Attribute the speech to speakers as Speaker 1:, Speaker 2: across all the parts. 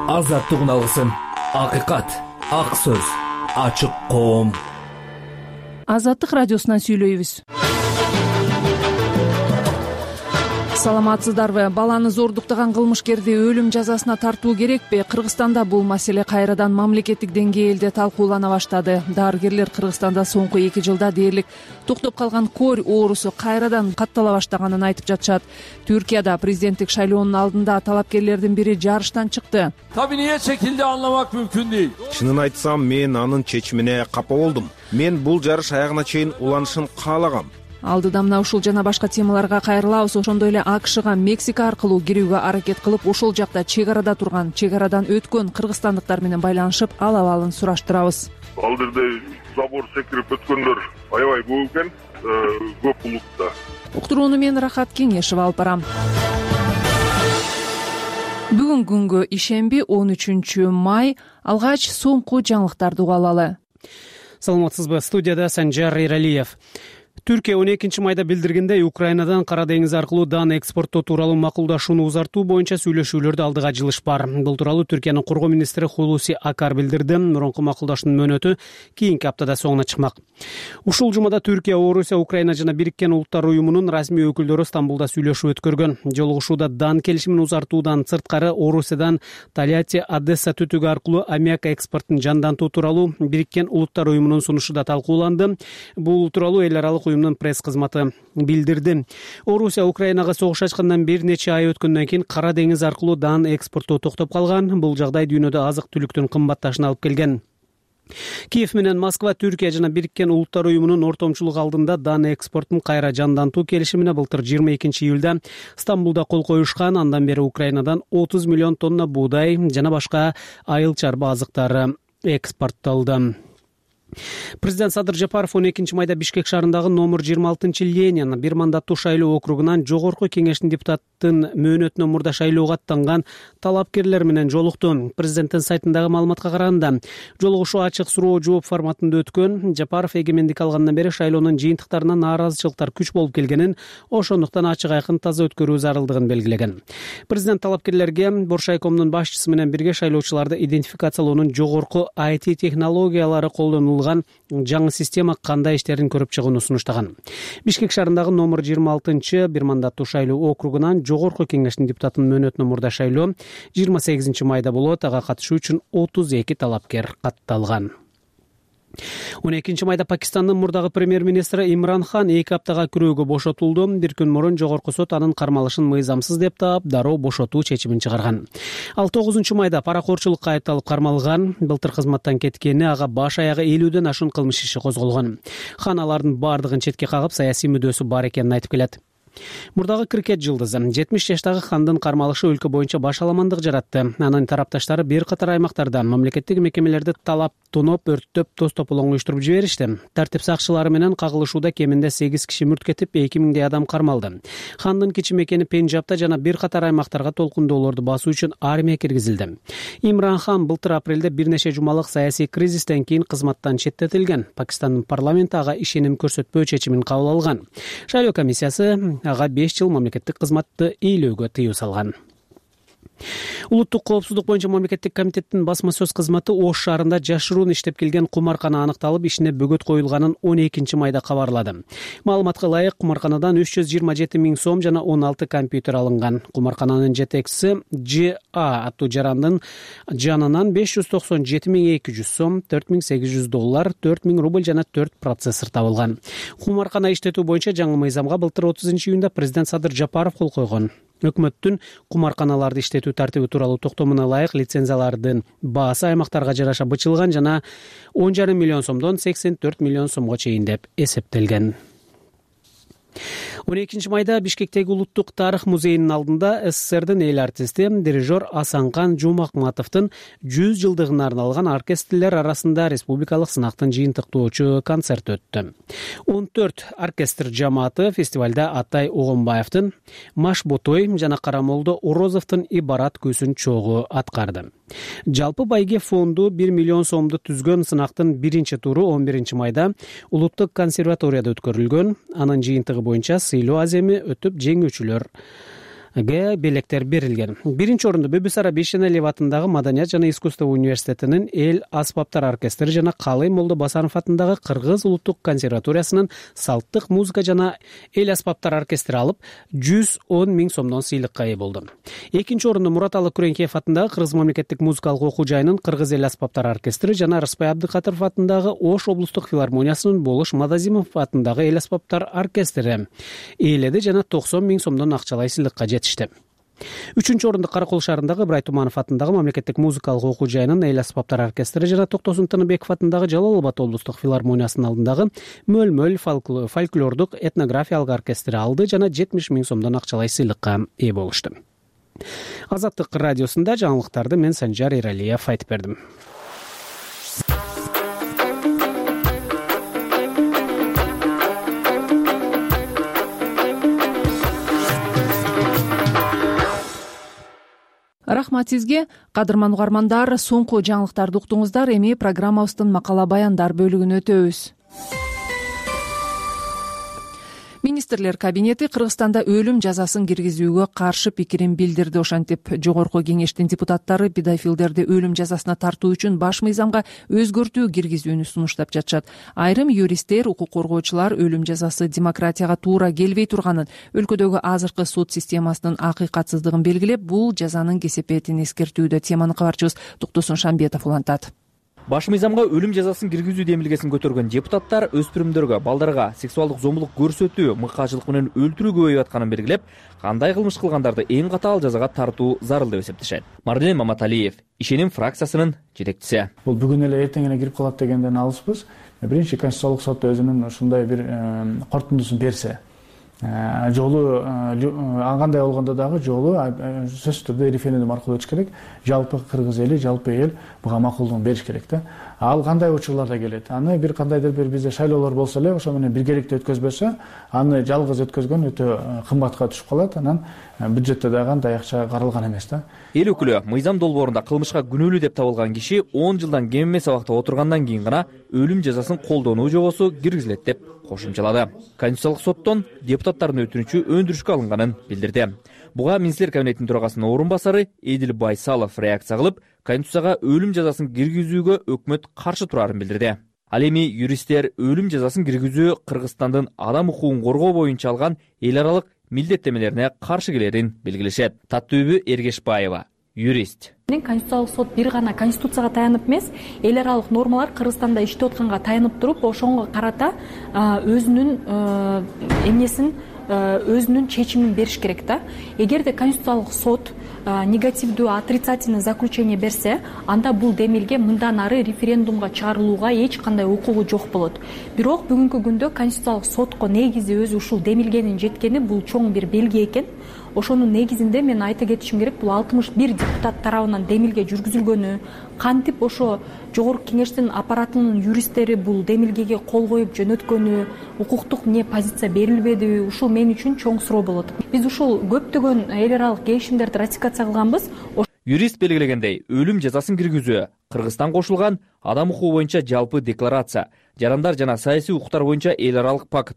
Speaker 1: азаттыгын алгысың. Акыйкат, ак сөз, ачык коом.
Speaker 2: Азаттык радиосунан сүйлөйбүз. Саламатсыздарбы? Баланы зордуктаган кылмышкерди өлүм жазасына тартуу керекпи? Кыргызстанда бул маселе кайрадан мамлекеттик деңгээлде талкуулана баштады. Дарыгерлер Кыргызстанда соңку 2 жылда дээрлик токтоп калган кор оорусу кайрадан каттала баштаганын айтып жатышат. Түркияда президенттик шайлоонун алдында талапкерлердин бири жарыштан чыкты.
Speaker 3: Tabii niye çekildi anlamak mümkün değil.
Speaker 4: Чынын айтсам, мен анын чечимине капа болдум. Мен бул жарыш аягына чейин уланышын каалагам.
Speaker 2: Алдыда мына ушул жана башка темаларга кайрылабыз. Ошондой эле АКШга Мексика аркылуу кирүүгө аракет кылып, ошол жакта чек арада турган, чек арадан өткөн кыргызстандыктар менен байланышып, ал абалын сураштырабыз.
Speaker 5: Ал жерде забор секирип өткөндөр аябай көп экен, көп улутта.
Speaker 2: Уктурууну мен Рахат Кеңешева алып барам. Бүгүн күнгө ишемби 13 май. Алгач соңку жаңылыктарды угуп алалы.
Speaker 6: Саламатсызбы? Студияда Санжар Иралиев. Түркия 12 майда билдиргендей, Украинадан Кара деңиз аркылуу дан экспорттоо тууралуу макулдашууну узартуу боюнча сүйлөшүүлөрдө алдыга жылыш бар. Бул тууралуу Түркиянын коргоо министри Хулуси Акар билдирди. Мурунку макулдашуунун мөөнөтү кийинки аптада соңуна чыкмак. Ушул жумада Түркия, Орусия, Украина жана Бириккен Улуттар уюмунун расмий өкүлдөрү Стамбулда сүйлөшүү өткөргөн. Жолугушууда дан келишимин узартуудан сырткары Орусиядан Тольятти, Одесса түтүгү аркылуу аммиак экспортун жандантуу тууралуу Бириккен Улуттар уюмунун сунушу да талкууланды. Бул тууралуу эл аралык уюмдун пресс кызматы билдирди. Орусия Украинага согуш ачкандан бир нече ай өткөндөн кийин Кара деңиз аркылуу дан экспорттоо токтоп калган. Бул жагдай дүйнөдө азык-түлүктүн кымбатташына алып келген. Киев менен Москва Түркия жана Бириккен Улуттар уюмунун ортомчулугу алдында дан экспортун кайра жандантуу келишимине былтыр 22 июлда Стамбулда кол коюшкан. Андан бери Украинадан 30 миллион тонна буудай жана башка айыл чарба азыктары экспорттолду. Президент Садыр Жапаров 12 майда Бишкек шаарындагы номер 26 Ленин бир мандаттуу шайлоо округунан жогорку кеңештин депутаттын мөөнөтүнө мурда шайлоого аттанган талапкерлер менен жолукту. Президенттин сайтындагы маалыматка караганда, жолугушуу ачык суроо жооп форматында өткөн. Жапаров эгемендик алгандан бери шайлоонун жыйынтыктарына нааразычылыктар күч болуп келгенин, ошондуктан ачык айкын таза өткөрүү зарылдыгын белгилеген. Президент талапкерлерге Боршайкомдун башчысы менен бирге шайлоочуларды идентификациялоонун жогорку IT технологиялары колдонулган жаңы система кандай иштерин көрүп чыгууну сунуштаган. Бишкек шаарындагы номер 26 бир мандаттуу шайлоо округунан жогорку кеңештин депутатынын мөөнөтүнө мурда шайлоо 28 майда болот. Ага катышуу үчүн 32 талапкер катталган. 12 майда Пакистандын мурдагы премьер-министри Имран Хан 2 аптага күрөөгө бошотулду. Бир күн мурун жогорку сот анын кармалышын мыйзамсыз деп таап, дароо бошотуу чечимин чыгарган. Ал 9 майда паракорчулукка айыпталып кармалган. Былтыр кызматтан кеткени, ага баш аягы 50ден ашуун кылмыш иши козголгон. Хан алардын бардыгын четке кагып, саясий мүддөсү бар экенин айтып келет. Мурдагы крикет жылдызы 70 жаштагы Хандын кармалышы өлкө боюнча баш аламандык жаратты. Анын тарапташтары бир катар аймактарда мамлекеттик мекемелерди талап, тоноп, өрттөп, тоз тополоң уюштуруп жиберишти. Тартип сакчылары менен кагылышууда кеминде 8 киши мүрт кетип, 2000 адам кармалды. Хандын кичи мекени Пенджабта жана бир катар аймактарга толкундоолорду басуу үчүн армия киргизилди. Имран Хан былтыр апрелде бир нече жумалык саясий кризистен кийин кызматтан четтетилген. Пакистандын парламенти ага ишеним көрсөтпөө чечимин кабыл алган. Шайлоо комиссиясы ага 5 жыл мамлекеттик кызматты ыйлөөгө тыюу салган. Улуттук коопсуздук боюнча мамлекеттик комитеттин басма сөз кызматы Ош шаарында жашыруун иштеп келген кумаркана аныкталып, ишине бөгөт коюлганын 12 майда кабарлады. Маалыматка ылайык, кумарканадан 327 000 сом жана 16 компьютер алынган. Кумаркананын жетекчиси Ж.А. аттуу жарандын жанынан 597 200 сом, $4800, 4000 рубль жана 4 процессор табылган. Кумаркана иштетүү боюнча жаңы мыйзамга былтыр 30 июнда президент Садыр Жапаров кол койгон. Өкмөттүн кумарканаларды иштетүү тартиби тууралуу токтомуна ылайык лицензиялардын баасы аймактарга жараша бычылган жана 10,5 миллион сомдон 84 миллион сомго чейин деп эсептелген. 12 майда Бишкектеги Улуттук тарых музейинин алдында СССРдин эл артисти, дирижер Асанкан Жумакматовдун 100 жылдыгына арналган оркестрлер арасында республикалык сынактын жыйынтыктоочу концерт өттү. 14 оркестр жамааты фестивалда Атай Огонбаевдин Маш Ботой жана Карамолдо Орозовдун Ибарат күүсүн чогуу аткарды. Жалпы байге фонду 1 миллион сомду түзгөн сынактын биринчи туру 11 майда Улуттук консерваторияда өткөрүлгөн. Анын жыйынтыгы боюнча сыйлоо аземи өтүп, жеңүүчүлөр белектер берилген. Биринчи орунду Бибисара Бейшеналиев атындагы Маданият жана искусство университетинин эл аспаптар оркестри жана Калый Молдо Басанов атындагы Кыргыз улуттук консерваториясынын салттык музыка жана эл аспаптар оркестри алып, 110 000 сомдон сыйлыкка ээ болду. Экинчи орунду Мураталы Күреңкеев атындагы Кыргыз мамлекеттик музыкалык окуу жайынын Кыргыз эл аспаптар оркестри жана Рыспай Абдыкатыров атындагы Ош облустук филармониясынын Болуш Мадазимов атындагы эл аспаптар оркестри ээледи жана 90 000 сомдон акчалай сыйлыкка жетишти. Үчүнчү орунду Каракол шаарындагы Ыбрай Туманов атындагы мамлекеттик музыкалык окуу жайынын эл аспаптар оркестри жана Токтосун Тыныбеков атындагы Жалал Абад облустук филармониясынын алдындагы Мөл фольклордук этнографиялык оркестри алды жана 70 000 сомдон акчалай сыйлыкка ээ болушту. Азаттык радиосунда жаңылыктарды мен Санжар Эралиев айтып бердим.
Speaker 2: Рахмат сизге, кадырман угармандар. Соңку жаңылыктарды уктуңуздар. Эми программабыздын макала баяндар бөлүгүнө өтөбүз. Министрлер кабинети Кыргызстанда өлүм жазасын киргизүүгө каршы пикирин билдирди. Ошентип, жогорку кеңештин депутаттары педофилдерди өлүм жазасына тартуу үчүн баш мыйзамга өзгөртүү киргизүүнү сунуштап жатышат. Айрым юристтер, укук коргоочулар өлүм жазасы демократияга туура келбей турганын, өлкөдөгү азыркы сот системасынын акыйкатсыздыгын белгилеп, бул жазанын кесепетин эскертүүдө. Теманы кабарчыбыз Токтосун Шамбетов улантат.
Speaker 7: Баш мыйзамга өлүм жазасын киргизүү демилгесин көтөргөн депутаттар өспүрүмдөргө, балдарга сексуалдык зомбулук көрсөтүү, мыкаачылык менен өлтүрүү көбөйүп атканын белгилеп, кандай кылмыш кылгандарды эң катаал жазага тартуу зарыл деп эсептешет. Марден Маматалиев, Ишеним фракциясынын жетекчиси.
Speaker 8: Бул бүгүн эле эртең эле кирип калат дегенден алыспыз. Биринчи Конституциялык сот өзүнүн ушундай бир корутундусун берсе, жолу кандай болгондо дагы жолу сөзсүз түрдө референдум аркылуу өтүш керек. Жалпы кыргыз эли, жалпы эл буга макулдугун бериш керек да. Ал кандай учурларда келет? Аны бир кандайдыр бир бизде шайлоолор болсо эле, ошо менен биргеликте өткөзбөсө, аны жалгыз өткөзгөн өтө кымбатка түшүп калат. Анан бюджетте дагы андай акча каралган эмес да.
Speaker 7: Эл өкүлү мыйзам долбоорунда кылмышка күнөөлүү деп табылган киши 10 жылдан кем эмес абакта отургандан кийин гана өлүм жазасын колдонуу жобосу киргизилет деп кошумчалады. Конституциялык соттон депутаттардын өтүнүчү өндүрүшкө алынганын билдирди. Буга Министрлер кабинетинин төрагасынын орун басары Эдил Байсалов реакция кылып, Конституцияга өлүм жазасын киргизүүгө өкмөт каршы турарын билдирди. Ал эми юристтер өлүм жазасын киргизүү Кыргызстандын адам укугун коргоо боюнча алган эл аралык милдеттемелерине каршы келерин белгилешет. Таттүүбү Эргешбаева, юрист.
Speaker 9: Конституциялык сот бир гана Конституцияга таянып эмес, эл аралык нормалар Кыргызстанда иштеп атканга таянып туруп, ошонго карата өзүнүн эмнесин, өзүнүн чечимин бериш керек да. Эгерде Конституциялык сот негативдүү, отрицательный заключение берсе, анда бул демилге мындан ары референдумга чыгарылууга эч кандай укугу жок болот. Бирок бүгүнкү күндө Конституциялык сотко негизи өзү ушул демилгенин жеткени бул чоң бир белги экен. Ошонун негизинде мен айта кетишим керек, бул 61 депутат тарабынан демилге жүргүзүлгөнү, кантип ошо жогорку кеңештин аппаратынын юристтери бул демилгеге кол коюп жөнөткөнү, укуктук позиция берилбеди, ушул мен үчүн чоң суроо болот. Биз ушул көптөгөн эл аралык келишимдерди ратификация кылганбыз.
Speaker 7: Юрист белгилегендей, өлүм жазасын киргизүү Кыргызстан кошулган адам укугу боюнча жалпы декларация, жарандар жана саясий укуктар боюнча эл аралык пакт,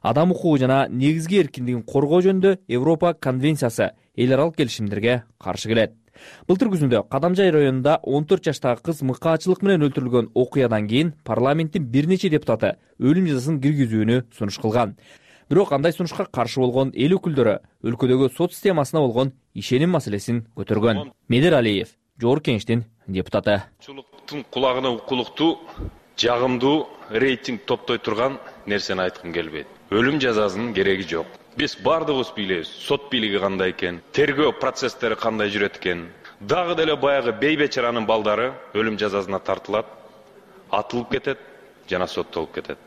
Speaker 7: адам укугу жана негизги эркиндигин коргоо жөнүндө Европа конвенциясы эл аралык келишимдерге каршы келет. Былтыр күзүндө Кадамжай районунда 14 жаштагы кыз мыкаачылык менен өлтүрүлгөн окуядан кийин парламенттин бир нече депутаты өлүм жазасын киргизүүнү сунуш кылган. Бирок андай сунушка каршы болгон эл өкүлдөрү өлкөдөгү сот системасына болгон ишеним маселесин көтөргөн. Медер Алиев, жогорку кеңештин депутаты.
Speaker 10: Чулуктун кулагына укулуктуу, жагымдуу рейтинг топтой турган нерсени айткым келбейт. Өлүм жазасынын кереги жок. Биз бардыгыбыз билебиз, сот бийлиги кандай экен, тергөө процесстери кандай жүрөт экен. Дагы деле баягы бейбечаранын балдары өлүм жазасына тартылат, атылып кетет жана соттолуп кетет.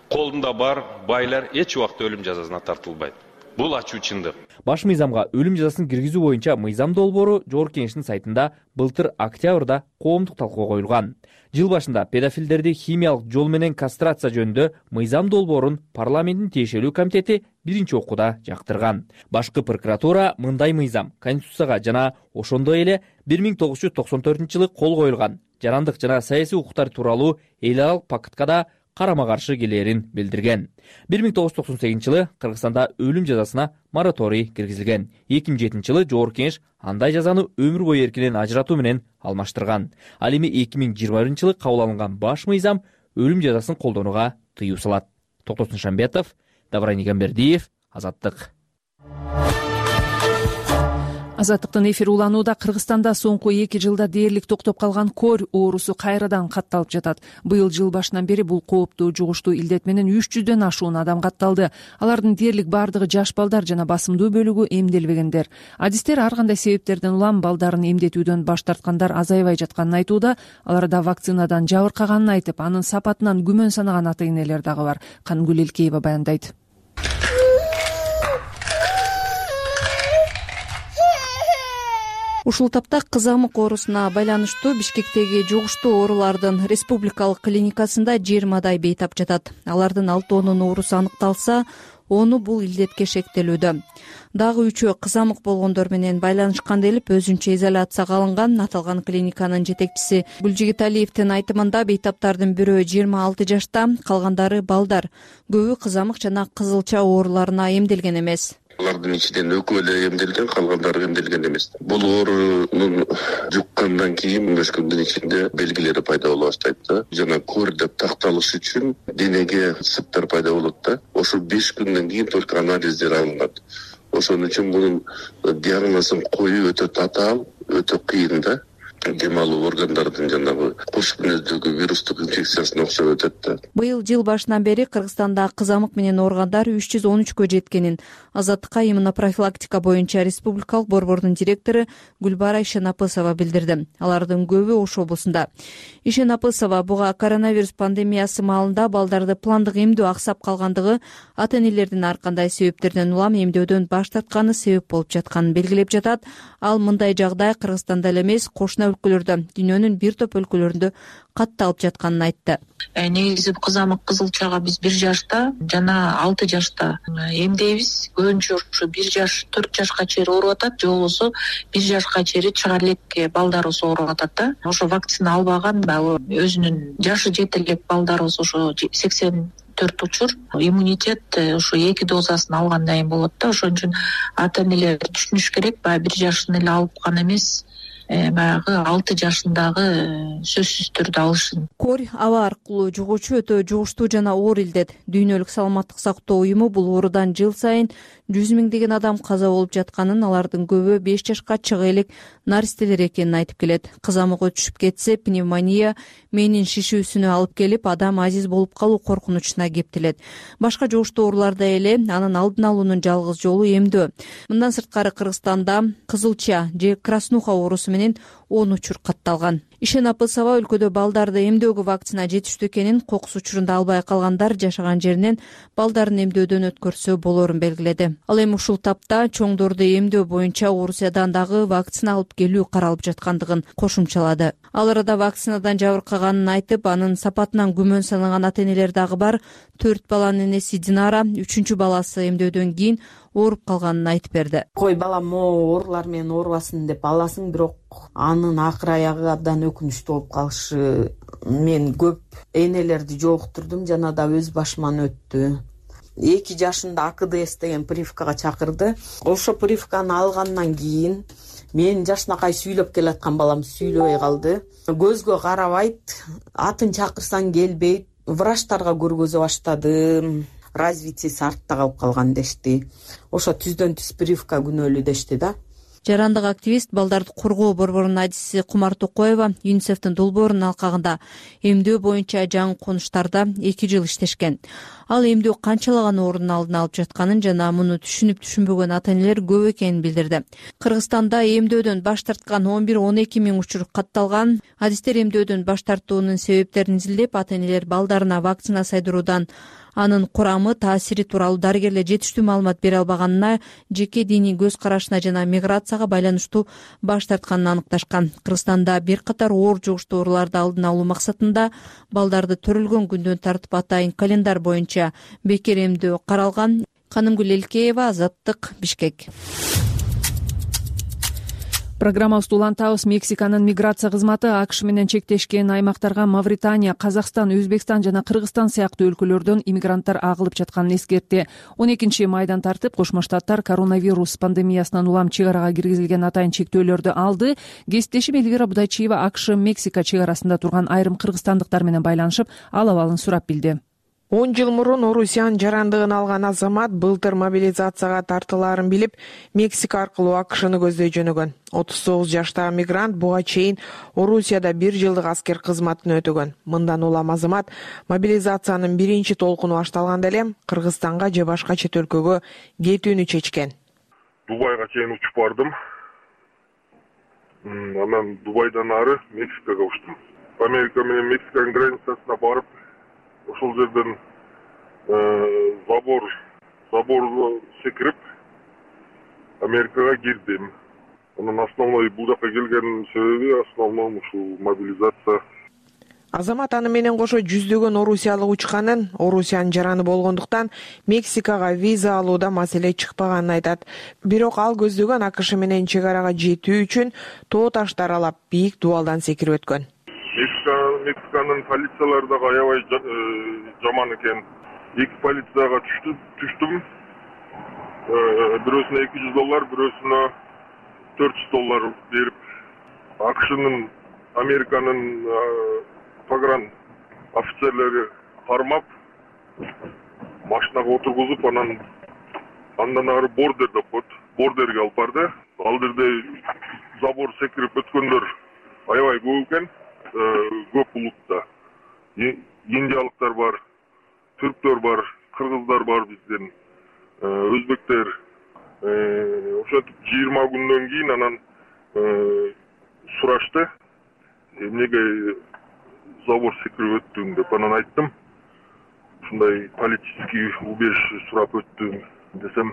Speaker 10: Колунда бар байлар эч убакта өлүм жазасына тартылбайт. Бул ачуу чындык.
Speaker 7: Баш мыйзамга өлүм жазасын киргизүү боюнча мыйзам долбоору жогорку кеңештин сайтында былтыр октябрда коомдук талкууга коюлган. Жыл башында педофилдерди химиялык жол менен кастрация жөнүндө мыйзам долбоорун парламенттин тиешелүү комитети биринчи окууда жактырган. Башкы прокуратура мындай мыйзам Конституцияга жана ошондой эле 1994-жылы кол коюлган жарандык жана саясий укуктар тууралуу эл аралык пакытка да карама каршы келээрин билдирген. 1998 жылы Кыргызстанда өлүм жазасына мораторий киргизилген. 2007 жылы Жогорку Кеңеш андай жазаны өмүр бою эркинен ажыратуу менен алмаштырган. Ал эми 2021 жылы кабыл алынган баш мыйзам өлүм жазасын колдонууга тыюу салат. Токтосун Шамбетов, Давран Игамбердиев, Азаттык.
Speaker 2: Азаттыктын эфир уланууда. Кыргызстанда соңку 2 жылда дээрлик токтоп калган кор оорусу кайрадан катталып жатат. Быйыл жыл башынан бери бул кооптуу жугуштуу илдет менен 300дөн ашуун адам катталды. Алардын дээрлик бардыгы жаш балдар жана басымдуу бөлүгү эмделбегендер. Адистер ар кандай себептерден улам балдарын эмдетүүдөн баш тарткандар азайбай жатканын айтууда. Аларда вакцинадан жабыркаганын айтып, анын сапатынан күмөн санаган ата-энелер дагы бар. Канымгүл Элкеева баяндайт.
Speaker 11: Ушул тапта кызамык оорусуна байланыштуу Бишкектеги жугуштуу оорулардын республикалык клиникасында 20 бейтап жатат. Алардын 6-нун оорусу аныкталса, 10 бул илдетке шектелүүдө. Дагы 3 кызамык болгондор менен байланышкан делип өзүнчө изоляцияга алынган. Аталган клиниканын жетекчиси Гүлжигиталиевдин айтымында бейтаптардын бирөө 26 жашта, калгандары балдар. Көбү кызамык жана кызылча ооруларына эмделген эмес.
Speaker 12: Алардын ичинен экөө эле эмделген, калгандары эмделген эмес. Бул оорунун жуккандан кийин 15 күндүн ичинде белгилери пайда боло баштайт да. Жана кор деп такталыш үчүн денеге сыптар пайда болот да. Ошо 5 күндөн кийин только анализдер алынат. Ошон үчүн мунун диагнозун коюу өтө татаал, өтө кыйын да. Дем алуу органдардын жанагы кош мүнөздөгү вирустук инфекциясына окшоп өтөт да.
Speaker 11: Быйыл жыл башынан бери Кыргызстанда кызамык менен ооругандар 313кө жеткенин Азаттыкка иммунопрофилактика боюнча республикалык борбордун директору Гүлбара Ишенапысова билдирди. Алардын көбү Ош облусунда. Ишенапысова буга коронавирус пандемиясы маалында балдарды пландык эмдөө аксап калгандыгы, ата-энелердин ар кандай себептерден улам эмдөөдөн баш тартканы себеп болуп жатканын белгилеп жатат. Ал мындай жагдай Кыргызстанда эле эмес, кошуна өлкөлөрдө, дүйнөнүн бир топ өлкөлөрүндө катталып жатканын айтты.
Speaker 13: Негизи кызамык кызылчага биз 1 жашта жана 6 жашта эмдейбиз. Көбүнчө ушу 1 жаш, 4 жашка чейин ооруп атат, же болбосо 1 жашка чейин чыгар элек балдарыбыз ооруп атат да. Ошо вакцина албаган баягы өзүнүн жашы жете элек балдарыбыз ошо 84 учур иммунитет ошо 2 дозасын алгандан кийин болот да. Ошон үчүн ата-энелер түшүнүш керек, баягы 1 жашын эле алып гана эмес, баягы 6 жашындагы сөзсүз түрдө алышын.
Speaker 11: Кор аба аркылуу жугуучу өтө жугуштуу жана оор илдет. Дүйнөлүк саламаттык сактоо уюму бул оорудан жыл сайын 100 миңдеген адам каза болуп жатканын, алардын көбү 5 жашка чыга элек наристелер экенин айтып келет. Кызамыгы түшүп кетсе, пневмония, мээнин шишүүсүнө алып келип, адам азиз болуп калуу коркунучуна кептелет. Башка жугуштуу ооруларда эле анын алдын алуунун жалгыз жолу эмдөө. Мындан сырткары Кыргызстанда кызылча же краснуха оорусу менен 10 учур катталган. Ишенапысова өлкөдө балдарды эмдөөгө вакцина жетиштүү экенин, кокус учурунда албай калгандар жашаган жеринен балдарын эмдөөдөн өткөрсө болорун белгиледи. Ал эми ушул тапта чоңдорду эмдөө боюнча Орусиядан дагы вакцина алып келүү каралып жаткандыгын кошумчалады. Ал арада вакцинадан жабыркаганын айтып, анын сапатынан күмөн санаган ата-энелер дагы бар. 4 баланын энеси Динара 3-чү баласы эмдөөдөн кийин ооруп калганын айтып берди.
Speaker 14: Кой балам оорулар менен оорубасын деп аласың, бирок анын акыр аягы абдан өкүнүчтүү болуп калышы. Мен көп энелерди жолуктурдум, жана да өз башыман өттү. 2 жашында АКДС деген прививкага чакырды. Ошо прививканы алгандан кийин мен жашынакай сүйлөп келаткан балам сүйлөбөй калды. Көзгө карабайт, атын чакырсаң келбейт. Врачтарга көргөзө баштадым. Развитиеси артта калып калган дешти. Ошо түздөн түз прививка күнөөлүү дешти да.
Speaker 11: Жарандык активист, балдарды коргоо борборунун адиси Кумар Токоева ЮНИСЕФтин долбоорунун алкагында эмдөө боюнча жаңы конуштарда 2 жыл иштешкен. Ал эмдөө канчалаган оорунун алдын алып жатканын жана муну түшүнүп-түшүнбөгөн ата-энелер көп экенин билдирди. Кыргызстанда эмдөөдөн баш тарткан 11-12 миң учур катталган. Адистер эмдөөдөн баш тартуунун себептерин изилдеп, ата-энелер балдарына вакцина сайдыруудан анын курамы, таасири тууралуу дарыгерлер жетиштүү маалымат бере албаганына, жеке диний көз карашына жана миграцияга байланыштуу баш тартканын аныкташкан. Кыргызстанда бир катар оор жугуштуу ооруларды алдын алуу максатында балдарды төрөлгөн күндөн тартып атайын календар боюнча бекер эмдөө каралган. Канымгүл Элкеева, Азаттык, Бишкек.
Speaker 2: Программабызды улантабыз. Мексиканын миграция кызматы АКШ менен чектешкен аймактарга Мавритания, Казакстан, Өзбекстан жана Кыргызстан сыяктуу өлкөлөрдөн иммигранттар агылып жатканын эскертти. 12 майдан тартып Кошмо Штаттар коронавирус пандемиясынан улам чек арага киргизилген атайын чектөөлөрдү алды. Кесиптешим Элвира Будайчиева АКШ Мексика чек арасында турган айрым кыргызстандыктар менен байланышып, ал абалын сурап билди.
Speaker 15: 10 жыл мурун Орусиянын жарандыгын алган азамат былтыр мобилизацияга тартылаарын билип, Мексика аркылуу АКШны көздөй жөнөгөн. 39 жаштагы мигрант буга чейин Орусияда 1 жылдык аскер кызматын өтөгөн. Мындан улам азамат мобилизациянын биринчи толкуну башталганда эле Кыргызстанга же башка чет өлкөгө кетүүнү чечкен.
Speaker 5: Дубайга чейин учуп бардым. Анан Дубайдан ары Мексикага учтум. Америка менен Мексиканын границасына барып, ошол жерден забор секирип Америкага кирдим. Анан основной бул жака келген себеби основной ушул мобилизация.
Speaker 15: Азамат аны менен кошо жүздөгөн орусиялык учканын, Орусиянын жараны болгондуктан Мексикага виза алууда маселе чыкпаганын айтат. Бирок ал көздөгөн АКШ менен чек арага жетүү үчүн тоо таштар аралап бийик дубалдан секирип өткөн.
Speaker 5: Мексиканын полициялары да аябай жаман экен. 2 полицияга түштүм. Бирөөсүнө $200, бирөөсүнө $400 берип, АКШнын, Американын погран офицерлери кармап, машинага отургузуп, андан ары бордер деп коет. Бордерге алып барды. Ал жерде забор секирип өткөндөр аябай көп экен. Көп улутта. Индиялыктар бар, түрктөр бар, кыргыздар бар бизден, өзбектер. Ошентип 20 күндөн кийин анан сурашты. Эмнеге забор секирип өттүң деп анан айттым. Ушундай политический убежище сурап өттүм десем.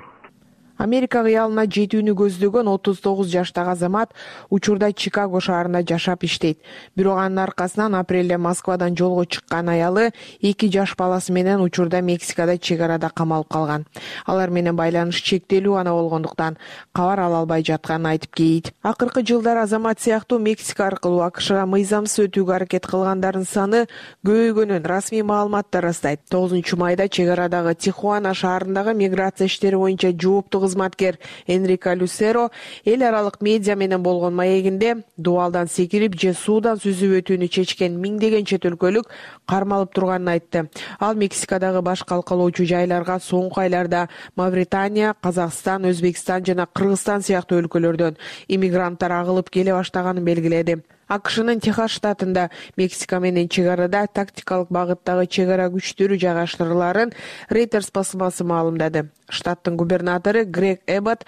Speaker 15: Америка кыялына жетүүнү көздөгөн 39 жаштагы азамат учурда Чикаго шаарында жашап иштейт. Бирок анын аркасынан апрелде Москвадан жолго чыккан аялы 2 жаш баласы менен учурда Мексикада чек арада камалып калган. Алар менен байланыш чектелүү гана болгондуктан кабар ала албай жатканын айтып кейт. Акыркы жылдар азамат сыяктуу Мексика аркылуу АКШга мыйзамсыз өтүүгө аракет кылгандардын саны көбөйгөнүн расмий маалыматтар ырастайт. 9 майда чек арадагы Тихуана шаарындагы миграция иштери боюнча жооптуу кызматкер Энрико Люсеро эл аралык медиа менен болгон маегинде дубалдан секирип же суудан сүзүп өтүүнү чечкен миңдеген чет өлкөлүк кармалып турганын айтты. Ал Мексикадагы баш калкалоочу жайларга соңку айларда Мавритания, Казакстан, Өзбекстан жана Кыргызстан сыяктуу өлкөлөрдөн иммигранттар агылып келе баштаганын белгиледи. АКШнын Техас штатында Мексика менен чек арада тактикалык багыттагы чек ара күчтөрү жайгаштырыларын Reuters басмасы маалымдады. Штаттын губернатору Грег Эббот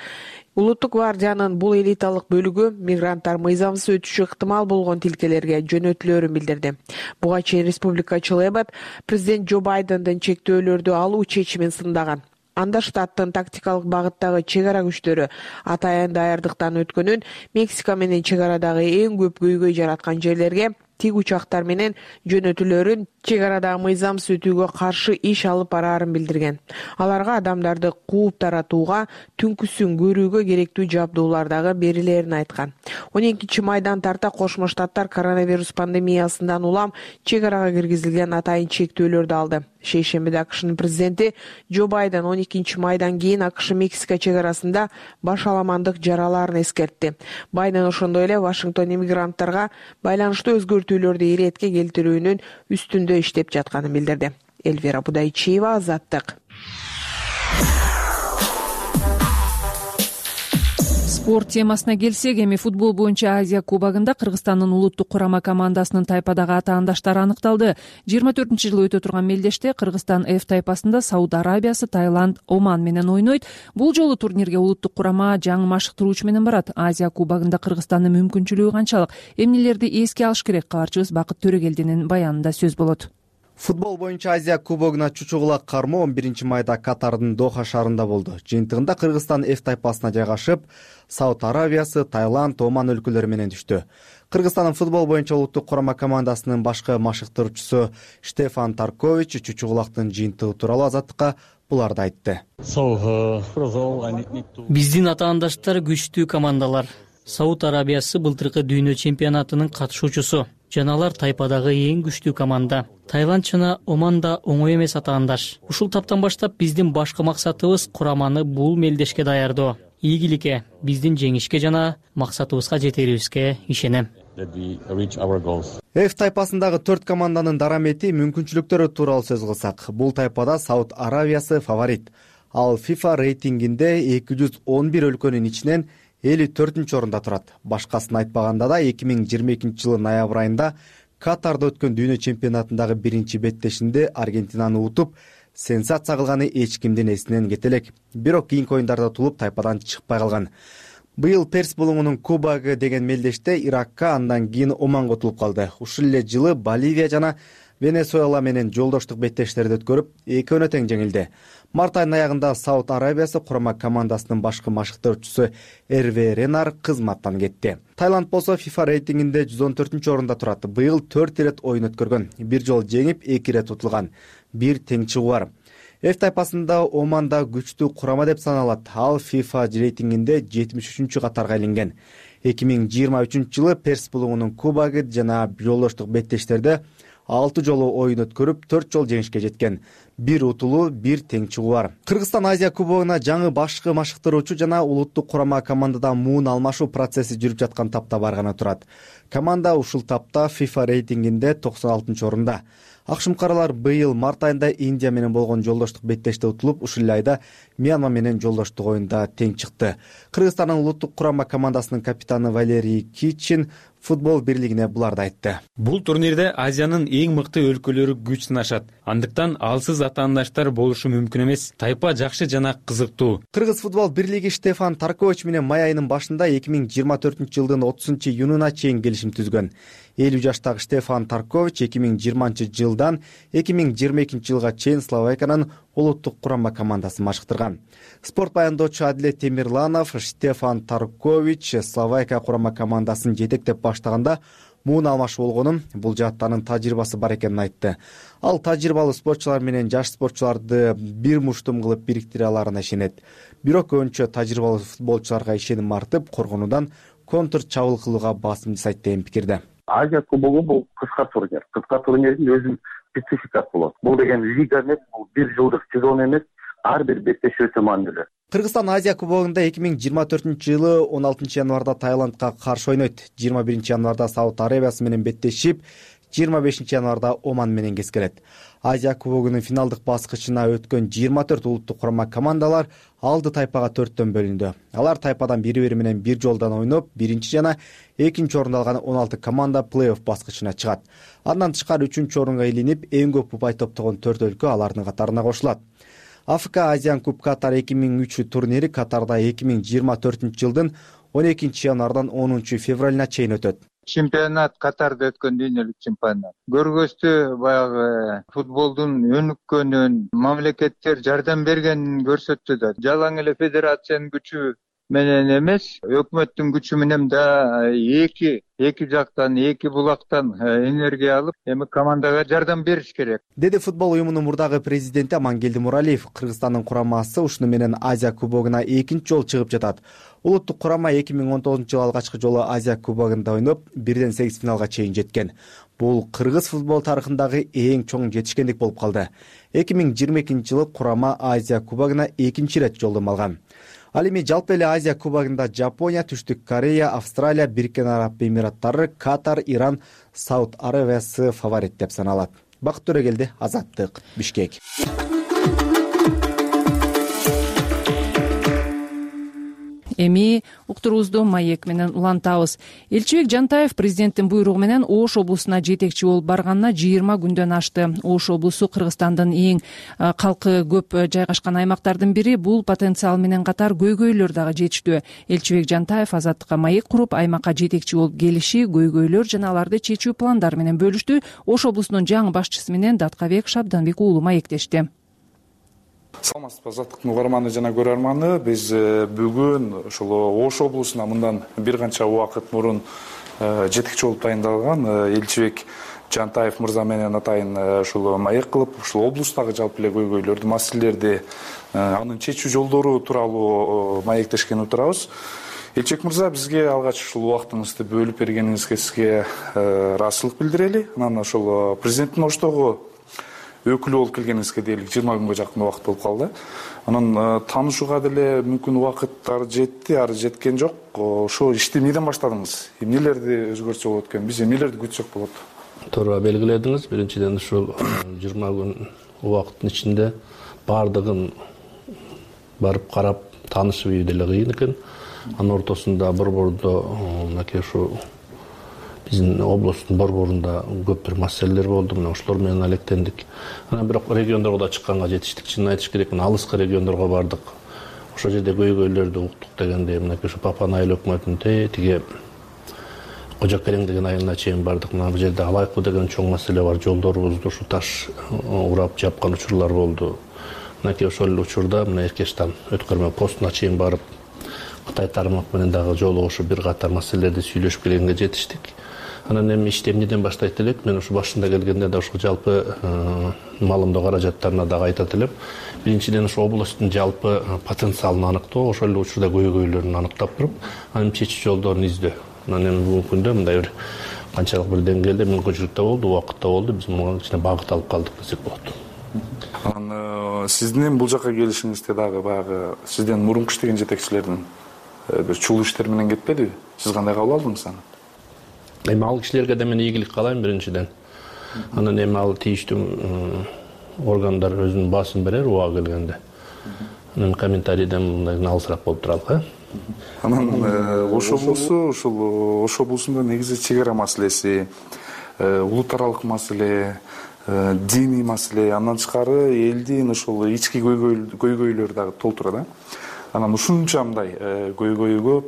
Speaker 15: Улуттук гвардиянын бул элиталык бөлүгү мигранттар мыйзамсыз өтүшү ыктымал болгон тилкелерге жөнөтүлөрүн билдирди. Буга чейин республикачыл Эббот президент Джо Байдендин чектөөлөрдү алуу чечимин сындаган. Анда штаттын тактикалык багыттагы чек ара күчтөрү атайын даярдыктан өткөнүн, Мексика менен чек арадагы эң көп көйгөй жараткан жерлерге тик учактар менен жөнөтүлөрүн чек арадагы мыйзамсыз өтүүгө каршы иш алып бараарын билдирген. Аларга адамдарды кууп таратууга, түнкүсүн көрүүгө керектүү жабдуулар дагы берилерин айткан. 12 майдан тарта Кошмо Штаттар коронавирус пандемиясынан улам чек арага киргизилген атайын чектөөлөрдү алды. Шейшембиде АКШнын президенти Джо Байден 12 майдан кийин АКШ-Мексика чек арасында башаламандык жараларын эскертти. Байден ошондой эле Вашингтон иммигранттарга байланыштуу өзгөртүүлөрдү иретке келтирүүнүн үстүндө иштеп жатканын билдирди. Элвира Будайчиева, Азаттык.
Speaker 2: Спорт темасына келсек, эми футбол боюнча Азия кубогунда Кыргызстандын улуттук курама командасынын тайпадагы атаандаштары аныкталды. 24-жылы өтө турган мелдеште Кыргызстан F тайпасында Сауд Арабиясы, Таиланд, Оман менен ойнойт. Бул жолу турнирге улуттук курама жаңы машыктыруучу менен барат. Азия кубогунда Кыргызстандын мүмкүнчүлүгү канчалык? Эмнелерди эске алыш керек? Кабарчыбыз Бакыт Төрөгелдинин баянында сөз болот.
Speaker 16: Футбол боюнча Азия кубогуна чучугула кармоо 11 майда Катардын Доха шаарында болду. Жыйынтыгында Кыргызстан F тайпасына жайгашып, Сауд Арабиясы, Таиланд, Оман өлкөлөрү менен түштү. Кыргызстандын футбол боюнча улуттук курама командасынын башкы машыктыруучусу Штефан Таркович чучугулактын жыйынтыгы тууралуу Азаттыкка буларды айтты.
Speaker 17: Биздин атаандаштар күчтүү командалар. Сауд Арабиясы былтыркы дүйнө чемпионатынын катышуучусу жана алар тайпадагы эң күчтүү команда. Таиланд жана Оман да оңой эмес атаандаш. Ушул таптан баштап биздин башкы максатыбыз кураманы бул мелдешке даярдоо. Ийгиликке, биздин жеңишке жана максатыбызга жетерибизге ишенем.
Speaker 16: F тайпасындагы 4 команданын дарамети, мүмкүнчүлүктөрү тууралуу сөз кылсак, бул тайпада Сауд Арабиясы фаворит. Ал FIFA рейтингинде 211 өлкөнүн ичинен 54-орунда турат. Башкасын айтпаганда да 2022-жылы ноябрь айында Катарда өткөн дүйнө чемпионатындагы биринчи беттешинде Аргентинаны утуп, сенсация кылганы эч кимдин эсинен кете элек. Бирок кийинки оюндарда утулуп, тайпадан чыкпай калган. Быйыл Перс булуңунун кубогу деген мелдеште Иракка, андан кийин Оманга утулуп калды. Ушул эле жылы Боливия жана Венесуэла менен жолдоштук беттештерди өткөрүп, экөөнө тең жеңилди. Март айынын аягында Сауд Арабиясы курама командасынын башкы машыктоочусу Эрве Ренар кызматтан кетти. Таиланд болсо FIFA рейтингинде 114-орунда турат. Быйыл 4 ирет оюн өткөргөн. Бир жол жеңип, 2 ирет утулган. Бир тең чыгуу бар. F тайпасында Оман да күчтүү курама деп саналат. Ал FIFA рейтингинде 73-чү катарга илинген. 2023-жылы Перс булуңунун кубогу жана жолдоштук беттештерде 6 жолу оюн өткөрүп, 4 жол жеңишке жеткен. Бир утулуу, бир тең чыгуу бар. Кыргызстан Азия кубогуна жаңы башкы машыктыруучу жана улуттук курама командада муун алмашуу процесси жүрүп жаткан тапта барганы турат. Команда ушул тапта FIFA рейтингинде 96-орунда. Акшумкарлар быйыл март айында Индия менен болгон жолдоштук беттеште утулуп, ушул эле айда Мьянма менен жолдоштук оюнда тең чыкты. Кыргызстандын улуттук курама командасынын капитаны Валерий Кичин футбол бирлигине буларды айтты.
Speaker 18: Бул турнирде Азиянын эң мыкты өлкөлөрү күч сынашат. Андыктан алсыз атаандаштар болушу мүмкүн эмес. Тайпа жакшы жана кызыктуу.
Speaker 16: Кыргыз футбол бирлиги Штефан Таркович менен май айынын башында 2024-жылдын 30-июнуна чейин келишим түзгөн. 50 жаштагы Штефан Таркович 2020-жылдан 2022-жылга чейин Словакиянын улуттук курама командасын машыктырган. Спорт баяндоочу Адилет Темирланов Штефан Таркович Словакия курама командасын жетектеп баштаганда муун алмашуу болгонун, бул жаатта анын тажрыйбасы бар экенин айтты. Ал тажрыйбалуу спортчулар менен жаш спортчуларды бир муштум кылып бириктире аларына ишенет. Бирок көбүнчө тажрыйбалуу футболчуларга ишеним артып, коргонуудан контр чабуул кылууга басым жасайт деген пикирде.
Speaker 19: Азия кубогу бул кыска турнир. Кыска турнирдин өзүнүн спецификасы болот. Бул деген лига эмес, бул бир жылдык сезон эмес, ар бир беттеш өтө маанилүү.
Speaker 16: Кыргызстан Азия кубогунда 2024-жылы 16 январда Таиландка каршы ойнойт. 21 январда Сауд Арабиясы менен беттешип, 25 январда Оман менен кескелет. Азия кубогунун финалдык баскычына өткөн 24 улуттук курама командалар алды тайпага 4төн бөлүндү. Алар тайпадан бири-бири менен бир жолдон ойноп, биринчи жана экинчи орунду алган 16 команда плей-офф баскычына чыгат. Андан тышкары 3-орунга илинип, эң көп упай топтогон 4 өлкө алардын катарына кошулат. Африка Азиан Куб Катар 2003 турнири Катарда 2024-жылдын 12 январдан 10 февралына чейин өтөт.
Speaker 20: Чемпионат Катарда өткөн дүйнөлүк чемпионат. Көргөзтү баягы футболдун өнүккөнүн, мамлекеттер жардам бергенин көрсөттү да. Жалаң эле федерациянын күчү менен эмес, өкмөттүн күчү менен да эки жактан, эки булактан энергия алып, эми командага жардам бериш керек.
Speaker 16: Деди футбол уюмунун мурдагы президенти Амангелди Муралиев. Кыргызстандын курамасы ушуну менен Азия кубогуна экинчи жолу чыгып жатат. Улуттук курама 2019-жылы алгачкы жолу Азия кубогунда ойноп, 1-8 финалга чейин жеткен. Бул кыргыз футбол тарыхындагы эң чоң жетишкендик болуп калды. 2022-жылы курама Азия кубогуна экинчи ирет жолдомо алган. Ал эми жалпы эле Азия кубогунда Жапония, Түштүк Корея, Австралия, Бириккен Араб Эмираттары, Катар, Иран, Сауд Арабиясы фаворит деп саналат. Бакыт Төрөгелди, Азаттык, Бишкек.
Speaker 2: Эми уктуруубузду маек менен улантабыз. Элчибек Жантаев президенттин буйругу менен Ош облусуна жетекчи болуп барганына 20 күндөн ашты. Ош облусу Кыргызстандын эң калкы көп жайгашкан аймактардын бири. Бул потенциал менен катар көйгөйлөр дагы жетиштүү. Элчибек Жантаев Азаттыкка маек куруп, аймакка жетекчи болуп келиши, көйгөйлөр жана аларды чечүү пландары менен бөлүштү. Ош облусунун жаңы башчысы менен Даткабек Шабданбек уулу маектешти.
Speaker 21: Саламатсызбы, Азаттыктын угарманы жана көрөрманы. Биз бүгүн ушул Ош облусуна мындан бир канча убакыт мурун жетекчи болуп тайындалган Элчибек Жантаев мырза менен атайын ушул маек кылып, ушул облустагы жалпы эле көйгөйлөрдү, маселелерди, анын чечүү жолдору тууралуу маектешкен отурабыз. Элчибек мырза, бизге алгач ушул убактыңызды бөлүп бергениңизге сизге ыраазычылык билдирели. Анан ошол президенттин оштогу өкүлү болуп келгениңизге дээрлик 20 күнгө жакын убакыт болуп калды. Анан таанышууга деле мүмкүн убакыттар жетти, ары жеткен жок. Ошо ишти эмнеден баштадыңыз? Эмнелерди өзгөртсө болот экен? Биз эмнелерди күтсөк болот?
Speaker 1: Туура белгиледиңиз. Биринчиден ушул 20 күн убакыттын ичинде бардыгын барып карап таанышып ийүү деле кыйын экен. Анын ортосунда борбордо мынакей ушу биздин областтын борборунда көп бир маселелер болду. Мына ошолор менен алектендик. Анан бирок региондорго да чыкканга жетиштик. Чынын айтыш керек, мына алыскы региондорго бардык. Ошол жерде көйгөйлөрдү уктук дегенде, мынакей ушу Папан айыл өкмөтүнүн тиги Кожо Керең деген айылына чейин бардык. Мына бул жерде Алайкуу деген чоң маселе бар. Жолдорубузду ушу таш урап жапкан учурлар болду. Мынакей ошол учурда мына Эркештан өткөрмө постуна чейин барып Кытай тармак менен дагы жолугушуп бир катар маселелерди сүйлөшүп келгенге жетиштик. Анан эми ишти эмнеден баштайт элек? Мен ушу башында келгенде да ушул жалпы маалымдоо каражаттарына дагы айтат элем. Биринчиден ушу областтын жалпы потенциалын аныктоо, ошол эле учурда көйгөйлөрүн аныктап туруп, анын чечүү жолдорун издөө. Анан эми бүгүнкү күндө мындай бир канчалык бир деңгээлде мүмкүнчүлүк да болду, убакыт да болду. Биз муга кичине багыт алып калдык десек болот.
Speaker 21: Анан сиздин бул жака келишиңизде дагы баягы сизден мурунку иштеген жетекчилердин бир чулуу иштер менен кетпедиби? Сиз кандай кабыл алдыңыз аны?
Speaker 1: Эми ал кишилерге да мен ийгилик каалайм биринчиден. Анан эми ал тийиштүү органдар өзүнүн баасын берер убагы келгенде. Анан комментарийден мындай алысыраак болуп туралы.
Speaker 21: Анан Ош облусу, ушул Ош облусунда негизи чек ара маселеси, улут аралык маселе, диний маселе, андан тышкары элдин ошол ички көйгөйлөр дагы толтура да. Анан ушунча мындай көйгөйү көп.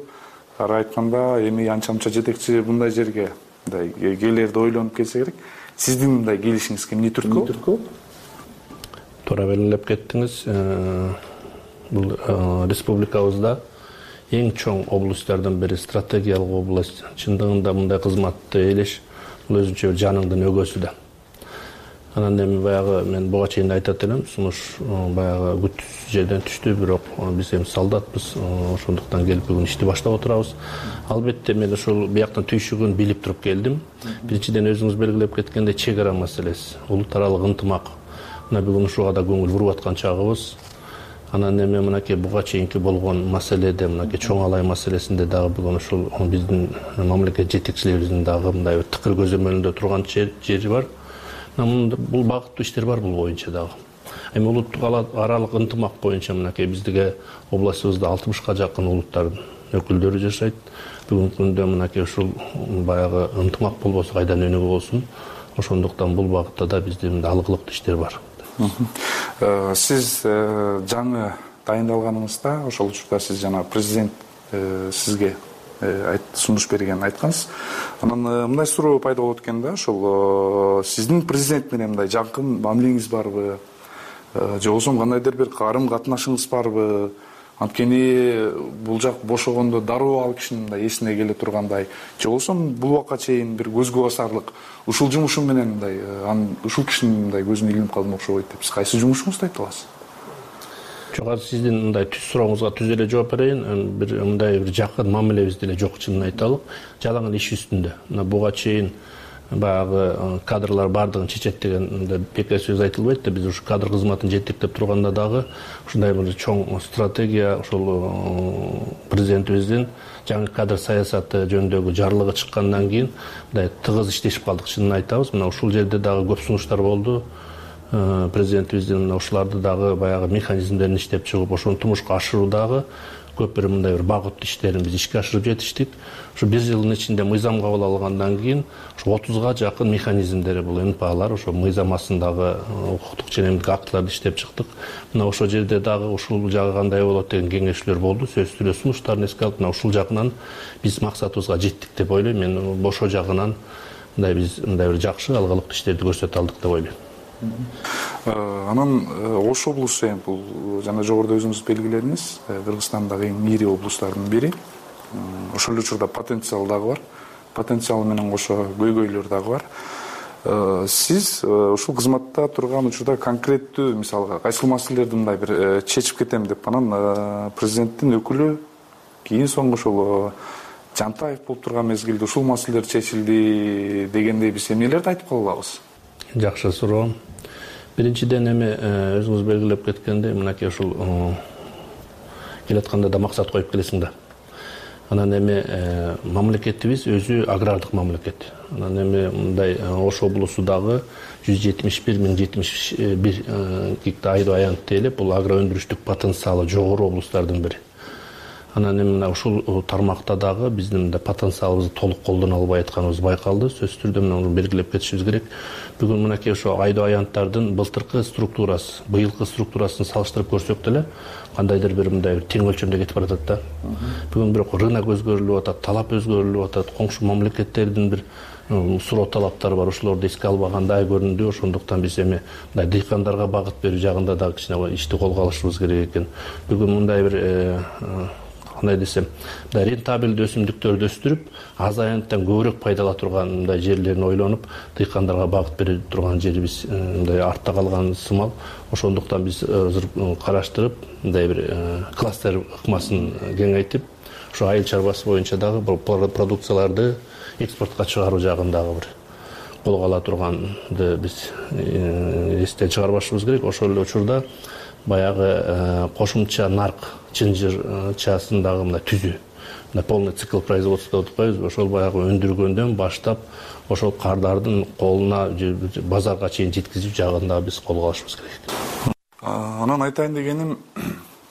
Speaker 21: Ары айтканда, эми анча-мынча жетекчи мындай жерге мындай келерди ойлонуп келсе керек. Сиздин мындай келишиңиз эмне түрткү?
Speaker 1: Туура белгилеп кеттиңиз. Бул республикабызда эң чоң областтардын бири, стратегиялык область. Чындыгында мындай кызматты элеш бул өзүнчө жаныңдын өгөөсү да. Анан эми баягы мен буга чейин айтат элем, сунуш баягы күтүүсүз жерден түштү, бирок биз эми солдатпыз, ошондуктан келип бүгүн ишти баштап отурабыз. Албетте мен ушул бияктан түйшүгүн билип туруп келдим. Биринчиден өзүңүз белгилеп кеткендей чек ара маселеси, улут аралык ынтымак. Мына бүгүн ушуга да көңүл буруп аткан чагыбыз. Анан эми мынакей буга чейинки болгон маселеде, мынакей чоң алай маселесинде дагы бүгүн ушул биздин мамлекет жетекчилерибиздин дагы мындай тыкыр көзөмөлүндө турган жери бар. Бул багыттуу иштер бар бул боюнча дагы. Эми улуттук аралык ынтымак боюнча мынакей биздиге областыбызда 60га жакын улуттардын өкүлдөрү жашайт. Бүгүнкү күндө мынакей ушул баягы ынтымак болбосо кайдан өнүгүү болсун. Ошондуктан бул багытта да биздин алгылыктуу иштер бар.
Speaker 21: Сиз жаңы дайындалганыңызда, ошол учурда сиз жана президент сизге сунуш берген айткансыз. Анан мындай суроо пайда болот экен да, ошол сиздин президент менен мындай жакын мамилеңиз барбы? Же болбосо кандайдыр бир карым катнашыңыз барбы? Анткени бул жак бошогондо дароо ал кишинин мындай эсине келе тургандай, же болбосо бул убакка чейин бир көзгө басарлык ушул жумушум менен мындай ушул кишинин мындай көзүнө илинип калдым окшобойт деп. Сиз кайсы жумушуңузду айта аласыз?
Speaker 1: Жок, азыр сиздин мындай түз сурооңузга түз эле жооп берейин. Бир мындай бир жакын мамилебиз деле жок, чынын айталык. Жалаң иш үстүндө. Мына буга чейин баягы кадрлар бардыгын чечет деген бекер сөз айтылбайт да. Биз ушу кадр кызматын жетектеп турганда дагы ушундай бир чоң стратегия ошол президентибиздин жаңы кадр саясаты жөнүндөгү жарлыгы чыккандан кийин мындай тыгыз иштешип калдык, чынын айтабыз. Мына ушул жерде дагы көп сунуштар болду. Президентибиздин ушуларды дагы баягы механизмдерин иштеп чыгып, ошону тумушка ашыруудагы көп бир мындай бир багыттуу иштерин биз ишке ашырып жетиштик. Ушу бир жылдын ичинде мыйзам кабыл алынгандан кийин ушу 30га жакын механизмдери бул НПАлар ошо мыйзам астындагы укуктук ченемдик актыларды иштеп чыктык. Мына ошол жерде дагы ушул жагы кандай болот деген кеңешүүлөр болду. Сөзсүз эле сунуштарын эске алып, мына ушул жагынан биз максатыбызга жеттик деп ойлойм. Мен ошол жагынан мындай биз мындай бир жакшы алгылыктуу иштерди көрсөтө алдык деп ойлойм.
Speaker 21: Анан Ош облусу бул жана жогоруда өзүңүз белгиледиңиз, Кыргызстандагы эң ири облустардын бири. Ошол эле учурда потенциал дагы бар. Потенциал менен кошо көйгөйлөр дагы бар. Сиз ушул кызматта турган учурда конкреттүү, мисалга, кайсыл маселелерди мындай бир чечип кетем деп анан президенттин өкүлү кийин соңку ушул Жантаев болуп турган мезгилде ушул маселелер чечилди дегендей биз эмнелерди айтып кала алабыз?
Speaker 1: Жакшы суроо. Биринчиден эми өзүңүз белгилеп кеткендей, мынакей ушул келатканда да максат коюп келесиң да. Анан эми мамлекетибиз өзү агрардык мамлекет. Анан эми мындай Ош облусу дагы 171 гектар айдоо аянт тейлеп, бул агро өндүрүштүк потенциалы жогору облустардын бири. Анан эми ушул тармакта дагы биздин потенциалыбызды толук колдоно албай атканыбыз байкалды. Сөзсүз түрдө муну белгилеп кетишибиз керек. Бүгүн мынакей ошо айдоо аянттардын былтыркы структурасы, быйылкы структурасын салыштырып көрсөк деле кандайдыр бир мындай тең өлчөмдө кетип баратат да. Бүгүн бирок рынок өзгөрүлүп атат, талап өзгөрүлүп атат, коңшу мамлекеттердин бир суроо талаптары бар. Ошолорду эске албагандай көрүндү. Ошондуктан биз эми мындай дыйкандарга багыт берүү жагында дагы кичине ишти колго алышыбыз керек экен. Бүгүн мындай бир кандай десем, рентабелдүү өсүмдүктөрдү өстүрүп, аз аянттан көбүрөөк пайдала турган мындай жерлерин ойлонуп, дыйкандарга багыт бере турган жерибиз мындай артта калган сымал. Ошондуктан биз азыр караштырып, мындай бир кластер ыкмасын кеңейтип, ошо айыл чарбасы боюнча дагы продукцияларды экспортко чыгаруу жагындагы бир колго ала турганды биз эстен чыгарбашыбыз керек. Ошол эле учурда баягы кошумча нарк чынжырчасын дагы мындай түзүү, мындай полный цикл производства деп атпайбызбы, ошол баягы өндүргөндөн баштап ошол кардардын колуна базарга чейин жеткизүү жагында биз колго алышыбыз керек.
Speaker 21: Анан айтайын дегеним,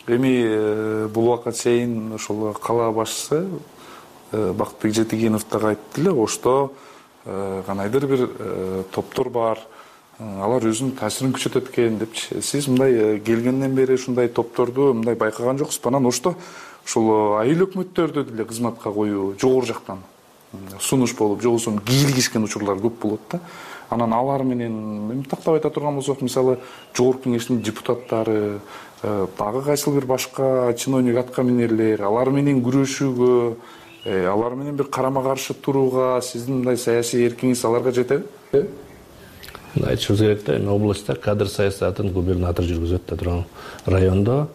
Speaker 21: эми бул убакка чейин ошол кала башчысы Бакытбек Жетигенов дагы айтты эле, Ошто кандайдыр бир топтор бар, алар өзүнүн таасирин күчөтөт экен депчи. Сиз мындай келгенден бери ушундай топторду мындай байкаган жоксузбу? Анан Ошто ушул айыл өкмөттөрдү деле кызматка коюу жогору жактан сунуш болуп, же болбосо кийлигишкен учурлар көп болот да. Анан алар менен тактап айта турган болсок, мисалы жогорку кеңештин депутаттары, дагы кайсыл бир башка чиновник аткаминерлер, алар менен күрөшүүгө, алар менен бир карама каршы турууга сиздин мындай саясий эркиңиз аларга жетеби?
Speaker 1: Айтышыбыз керек да, эми областта кадр саясатын губернатор жүргүзөт да, турган райондо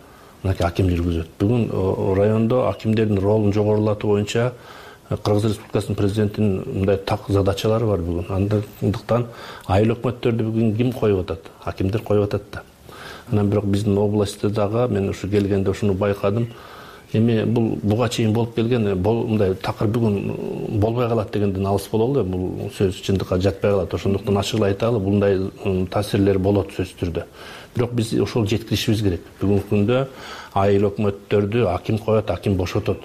Speaker 1: мынакей аким жүргүзөт. Бүгүн райондо акимдердин ролун жогорулатуу боюнча Кыргыз Республикасынын президентинин мындай так задачалары бар бүгүн. Андыктан айыл өкмөттөрдү бүгүн ким коюп атат? Акимдер коюп атат да. Анан бирок биздин областта дагы мен ушу келгенде ушуну байкадым. Эми бул буга чейин болуп келген мындай такыр бүгүн болбой калат дегенден алыс бололу. Бул сөз чындыкка жатпай калат. Ошондуктан ачык айталы, мындай таасирлер болот сөзсүз түрдө. Бирок биз ошол жеткиришибиз керек. Бүгүнкү күндө айыл өкмөттөрдү аким коет, аким бошотот.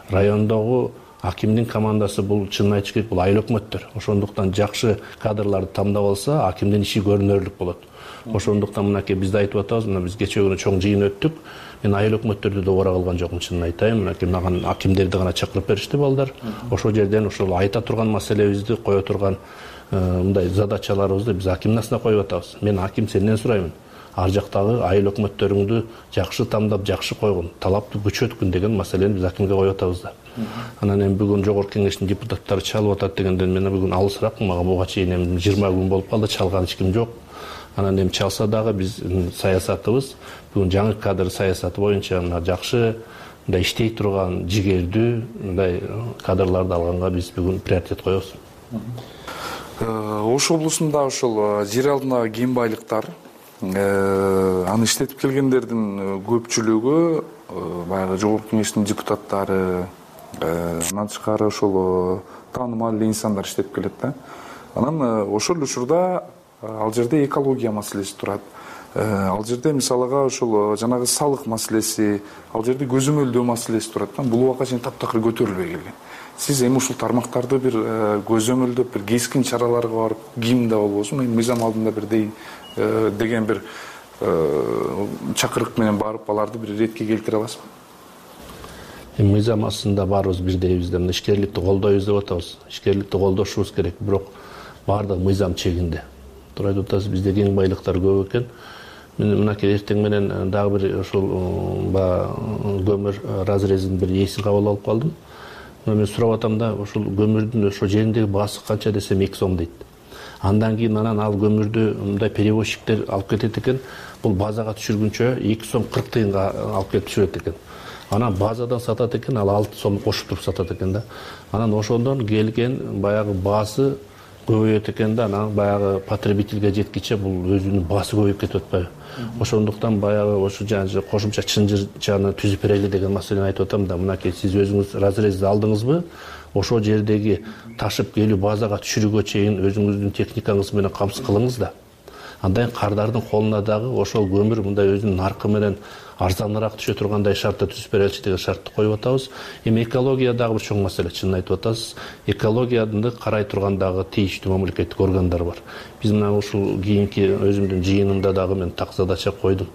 Speaker 1: Райондогу акимдин командасы бул чынын айтыш керек, бул айыл өкмөттөр. Ошондуктан жакшы кадрларды тандап алса, акимдин иши көрүнөрлүк болот. Ошондуктан мынакей биз да айтып атабыз, мына биз кечээ күнү чоң жыйын өттүк. Мен айыл өкмөттөрдү да убара калган жокмун, чынын айтайын. Мынакей мага акимдерди гана чакырып беришти балдар. Ошол жерден ошол айта турган маселебизди, кое турган мындай задачаларыбызды биз акимдин астына коюп атабыз. Мен аким сенден сураймын. Ар жактагы айыл өкмөттөрүңдү жакшы тандап, жакшы койгун, талапты күчөткүн деген маселени биз акимге коюп атабыз да. Анан эми бүгүн жогорку кеңештин депутаттары чалып атат дегенден мен бүгүн алысыракмын. Мага буга чейин эми 20 күн болуп калды, чалган эч ким жок. Анан эми чалса дагы биздин саясатыбыз бүгүн жаңы кадр саясаты боюнча мына жакшы мындай иштей турган, жигердүү мындай кадрларды алганга биз бүгүн приоритет коебуз.
Speaker 21: Ош облусунда ошол жер алдындагы кем байлыктар, аны иштетип келгендердин көпчүлүгү баягы жогорку кеңештин депутаттары, андан тышкары ошол таанымал инсандар иштеп келет да. Анан ошол учурда ал жерде экология маселеси турат. Ал жерде мисалыга ошол жанагы салык маселеси, ал жерде көзөмөлдөө маселеси турат да. Бул убакка чейин таптакыр көтөрүлбөй келген. Сиз эми ушул тармактарды бир көзөмөлдөп, бир кескин чараларга барып, кимде болбосун, мыйзам алдында бир деген бир чакырык менен барып аларды бир ретке келтире аласызбы?
Speaker 1: Мыйзам астында баарыбыз бирдейбиз да, ишкерликти колдойбуз деп атабыз. Ишкерликти колдошубуз керек, бирок баардыгы мыйзам чегинде. Туура айтып атасыз, бизде кең байлыктар көп экен. Мен мынакей эртең менен дагы бир ошол көмүр разрезин бир эсин кабыл алып калдым. Мен сурап атам да, ошол көмүрдүн ошол жериндеги баасы канча десем 2 сом дейт. Андан кийин анан ал көмүрдү мындай перевозчиктер алып кетет экен. Бул базага түшүргүнчө 2 сом 40 тыйынга алып келип түшүрөт экен. анан базадан сатат экен, ал 6 сом кошуп туруп сатат экен да. Анан ошондон келген баягы баасы көбөйөт экен да, анан баягы потребительге жеткиче бул өзүнүн баасы көбөйүп кетип атпайбы. Ошондуктан баягы ошо кошумча чынжырчаны түзүп берели деген маселени айтып атам да. Мынакей сиз өзүңүз разрезди алдыңызбы? Ошол жердеги ташып келүү базага түшүрүүгө чейин өзүңүздүн техникаңыз менен камсыз кылыңыз да. Андан кардардын колуна дагы ошол көмүр мындай өзүнүн наркы менен арзаныраак түшө тургандай шартта түзүп береличи деген шартты коюп атабыз. Эми экология дагы бир чоң маселе, чынын айтып атасыз. Экологияны карай турган дагы тийиштүү мамлекеттик органдар бар. Биз мына ушул кийинки өзүмдүн жыйынымда дагы мен так задача койдум.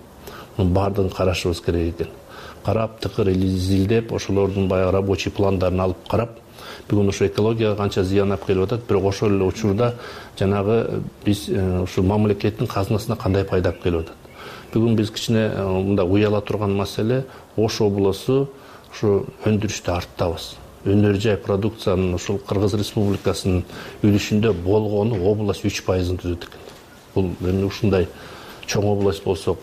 Speaker 1: Мунун баардыгын карашыбыз керек экен. Карап, тыкыр изилдеп, ошолордун баягы рабочий пландарын алып карап, бүгүн ошо экологияга канча зыян алып келип атат, бирок ошол эле учурда жанагы биз ушул мамлекеттин казынасына кандай пайда алып келип атат. Бүгүн биз кичине мындай уяла турган маселе, Ош облусу ушу өндүрүштө арттабыз. Өнөр жай продукциянын ушул Кыргыз Республикасынын үлүшүндө болгону область 3% түзөт экен. Бул эми ушундай чоң область болсок,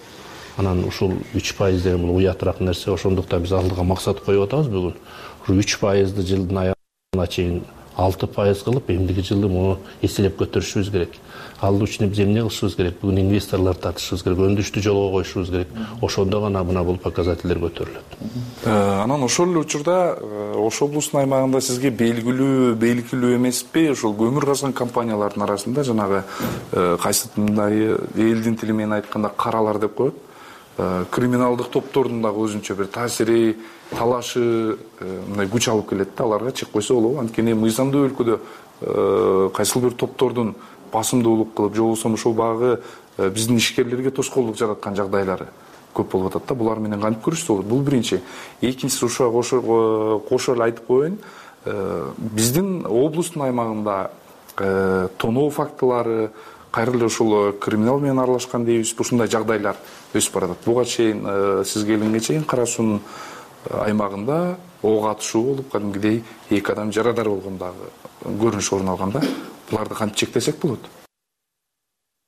Speaker 1: анан ушул 3% деген бул уятыраак нерсе. Ошондуктан биз алдыга максат коюп атабыз бүгүн. Ушу 3%ды жылдын аягына чейин 6% кылып, эмдиги жылы муну эселеп көтөрүшүбүз керек. Ал үчүн биз эмне кылышыбыз керек? Бүгүн инвесторлор тартышыбыз керек, өндүрүштү жолго коюшубуз керек. Ошондо гана мына бул показательдер көтөрүлөт.
Speaker 21: Анан ошол эле учурда Ош облусунун аймагында сизге белгилүү эмеспи, ошол көмүр казган компаниялардын арасында жанагы кайсындай элдин тили менен айтканда каралар деп коет. Криминалдык топтордун дагы өзүнчө бир таасири, талашы мындай күч алып келет да, аларга чек койсо болобу. Анткени мыйзамдуу өлкөдө кайсыл бир топтордун басымдуулук кылып, же болбосо ошол багы биздин ишкерлерге тоскоолдук жараткан жагдайлары көп болуп атат да. Булар менен кантип күрөшсө болот? Бул биринчи. Экинчиси ушуга кошо эле айтып коеюн. Биздин облустун аймагында тоноо фактылары, кайра эле ушул криминал менен аралашкан дейбизби, ушундай жагдайлар өсүп баратат. Буга чейин сиз келгенге чейин Кара суунун аймагында ок атышуу болуп, кадимгидей 2 адам жарадар болгон дагы көрүнүш орун алган да. Буларды кантип чектесек болот?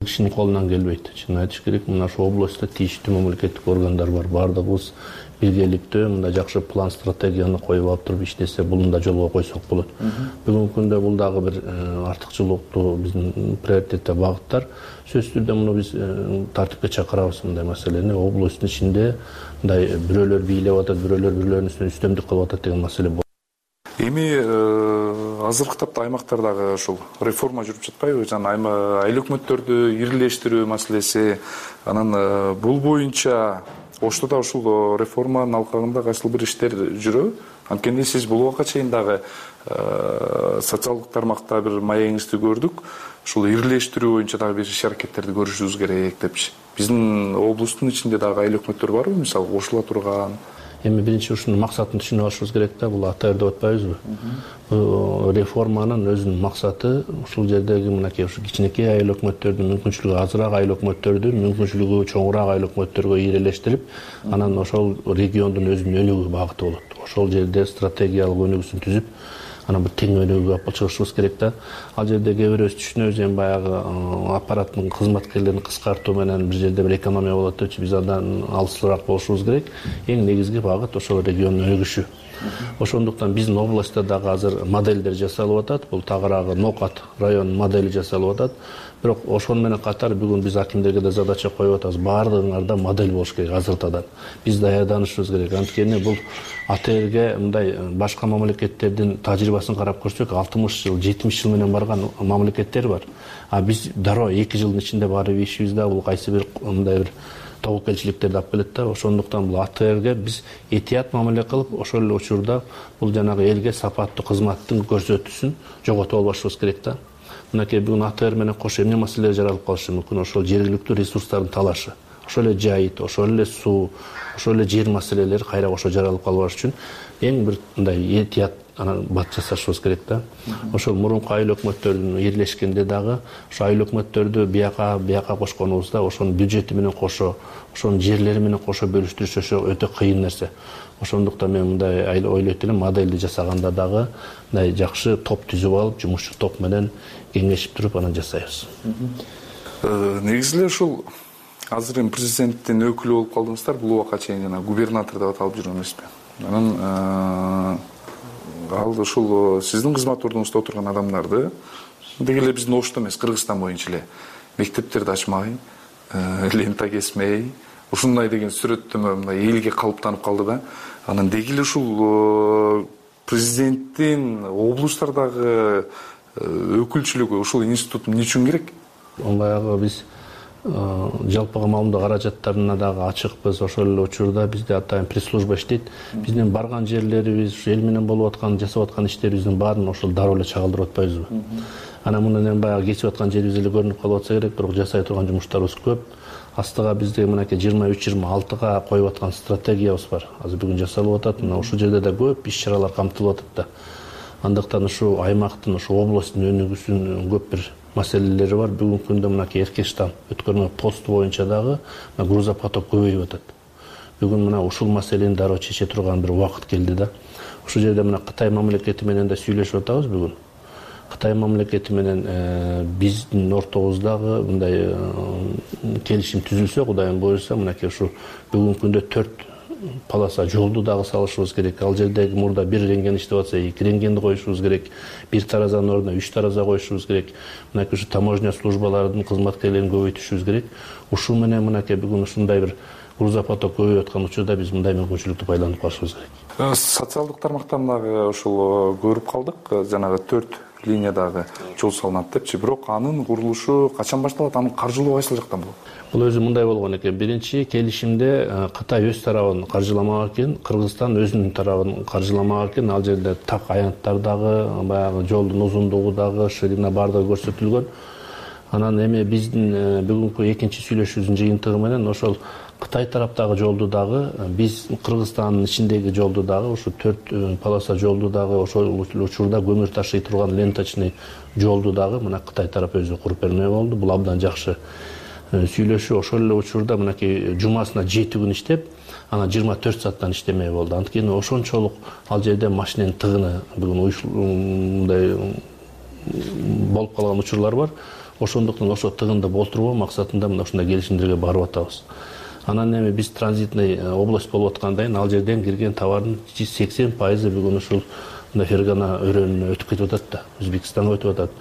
Speaker 1: Кишинин колунан келбейт. Чын айтыш керек, мына ошол областта тийиштүү мамлекеттик органдар бар. Бардыгыбыз биргеликтүү мындай жакшы план, стратегияны коюп алып туруп иштесе, буну да жолго койсок болот. Бүгүнкү күндө бул дагы бир артыкчылыктуу биздин приоритетте багыттар. Сөзсүз түрдө муну биз тартипке чакырабыз мындай маселени. Областтын ичинде мындай бирөөлөр бийлеп атат, бирөөлөр бирлөрүнүн үстүнө үстөмдүк кылып атат деген маселе бар.
Speaker 21: Эми азыркы тапта аймактардагы ушул реформа жүрүп жатпайбы? Жана айыл өкмөттөрдү ирилештирүү маселеси, анан бул боюнча Ошто да ушул реформанын алкагында кайсыл бир иштер жүрөбү? Анткени сиз бул убакка чейин дагы социалдык тармакта бир маегиңизди көрдүк. Ушул ирилештирүү боюнча дагы бир иш-аракеттерди көрүшүбүз керек депчи. Биздин облустун ичинде дагы айыл өкмөттөр барбы, мисалы кошула турган?
Speaker 1: Эми биринчи ушунун максатын түшүнүп алышыбыз керек да, бул АТР деп атпайбызбы? Бул реформанын өзүнүн максаты ушул жердеги мынакей ушу кичинекей айыл өкмөттөрдүн мүмкүнчүлүгү азыраак айыл өкмөттөрдү мүмкүнчүлүгү чоңураак айыл өкмөттөргө ирелештирип, анан ошол региондун өзүнүн өнүгүү багыты болот. Ошол жерде стратегиялык өнүгүүсүн түзүп, анан бир тең өнүгүүгө алып чыгышыбыз керек да. Ал жерде кээ бирөөбүз түшүнөбүз, эми баягы аппараттын кызматкерлерин кыскартуу менен бир жерде бир экономия болот депчи, биз андан алысыраак болушубуз керек. Эң негизги багыт ошол региондун өнүгүшү. Ошондуктан биздин областта дагы азыр моделдер жасалып атат. Бул тагыраагы Нокат районунун модели жасалып атат. Бирок ошону менен катар бүгүн биз акимдерге да задача коюп атабыз. Баардыгыңарда модель болуш керек азыртадан. Биз даярданышыбыз керек. Анткени бул АТРге мындай башка мамлекеттердин тажрыйбасын карап көрсөк, 60 жыл, 70 жыл менен барган мамлекеттер бар. А биз дароо 2 жылдын ичинде барып ишибиз да бул кайсы бир мындай бир тобокелчиликтерди алып келет да. Ошондуктан бул АТРге биз этият мамиле кылып, ошол эле учурда бул жанагы элге сапаттуу кызматтын көрсөтүүсүн жоготуп албашыбыз керек да. Мынакей бүгүн АТР менен кошо эмне маселелер жаралып калышы мүмкүн? Ошол жергиликтүү ресурстардын талашы, ошол эле жайыт, ошол эле суу, ошол эле жер маселелери кайра кошо жаралып калбаш үчүн эң бир мындай этият анан бат жасашыбыз керек да. Ошол мурунку айыл өкмөттөрдүн бирлешкенде дагы ошо айыл өкмөттөрдү бияка кошконубузда ошонун бюджети менен кошо, ошонун жерлери менен кошо бөлүштүрүш ошо өтө кыйын нерсе. Ошондуктан мен мындай ойлойт элем, модельди жасаганда дагы мындай жакшы топ түзүп алып, жумушчу топ менен кеңешип туруп анан жасайбыз.
Speaker 21: Негизи эле ушул азыр эми президенттин өкүлү болуп калдыңыздар, бул убакка чейин жана губернатор деп аталып жүргөн эмеспи? анан ал ушул сиздин кызмат ордуңузда отурган адамдарды деги эле биздин Ошто эмес, Кыргызстан боюнча эле мектептерди ачмай, лента кесмей, ушундай деген сүрөттөмө мындай элге калыптанып калды да. Анан деги эле ушул президенттин облустардагы өкүлчүлүгү ушул институт эмне үчүн керек?
Speaker 1: Баягы биз жалпыга маалымдоо каражаттарына дагы ачыкпыз. Ошол эле учурда бизде атайын пресс-служба иштейт. Биздин барган жерлерибиз, эл менен болуп аткан, жасап аткан иштерибиздин баарын ошол дароо эле чагылдырып атпайбызбы? Анан мындан баягы кесип аткан жерибиз эле көрүнүп калып атса керек, бирок жасай турган жумуштарыбыз көп. Астыга бизде мынакей 23-26га коюп аткан стратегиябыз бар. Азыр бүгүн жасалып атат. Мына ушул жерде да көп иш-чаралар камтылып атат да. Андыктан ушу аймактын, ушу областтын өнүгүүсүнүн көп бир маселелери бар. Бүгүнкү күндө мынакей Эркештан өткөрмө посту боюнча дагы грузопоток көбөйүп атат. Бүгүн мына ушул маселени дароо чече турган бир убакыт келди да. Ушул жерде мына Кытай мамлекети менен да сүйлөшүп атабыз бүгүн. Кытай мамлекети менен биздин ортобуздагы мындай келишим түзүлсө, Кудайым буйруса, мынакей ушу бүгүнкү күндө 4 полоса жолду дагы салышыбыз керек. Ал жердеги мурда 1 рентген иштеп атса, 2 рентгенди коюшубуз керек. 1 таразанын ордуна 3 тараза коюшубуз керек. Мынакей ушу таможня службаларынын кызматкерлерин көбөйтүшүбүз керек. Ушул менен мынакей бүгүн ушундай бир грузопоток көбөйүп аткан учурда биз мындай мүмкүнчүлүктү пайдаланып калышыбыз керек.
Speaker 21: Социалдык тармактан дагы ушул көрүп калдык. Жанагы 4 линиядагы жол салынат депчи, бирок анын курулушу качан башталат, анын каржылоо кайсыл жактан болот?
Speaker 1: Бул өзү мындай болгон экен. Биринчи келишимде Кытай өз тарабын каржыламак экен, Кыргызстан өзүнүн тарабын каржыламак экен. Ал жерде так аянттар дагы, баягы жолдун узундугу дагы, ширина бардыгы көрсөтүлгөн. Анан эми биздин бүгүнкү экинчи сүйлөшүүбүздүн жыйынтыгы менен ошол Кытай тараптагы жолду дагы, биз Кыргызстандын ичиндеги жолду дагы, ушу 4 полоса жолду дагы, ошол учурда көмүр ташый турган ленточный жолду дагы мына Кытай тарапы өзү куруп бермек болду. Бул абдан жакшы сүйлөшүү. Ошол эле учурда мынакей жумасына 7 күн иштеп, анан 24 сааттан иштемек болду. Анткени ошончолук ал жерде машиненин тыгыны бүгүн мындай болуп калган учурлар бар. Ошондуктан ошо тыгынды болтурбоо максатында мына ушундай келишимдерге барып атабыз. Анан эми биз транзитный область болуп аткандайын ал жерден кирген товардын 80% бүгүн ушул мындай Фергана өрөөнүнө өтүп кетип атат да, Өзбекстанга өтүп атат.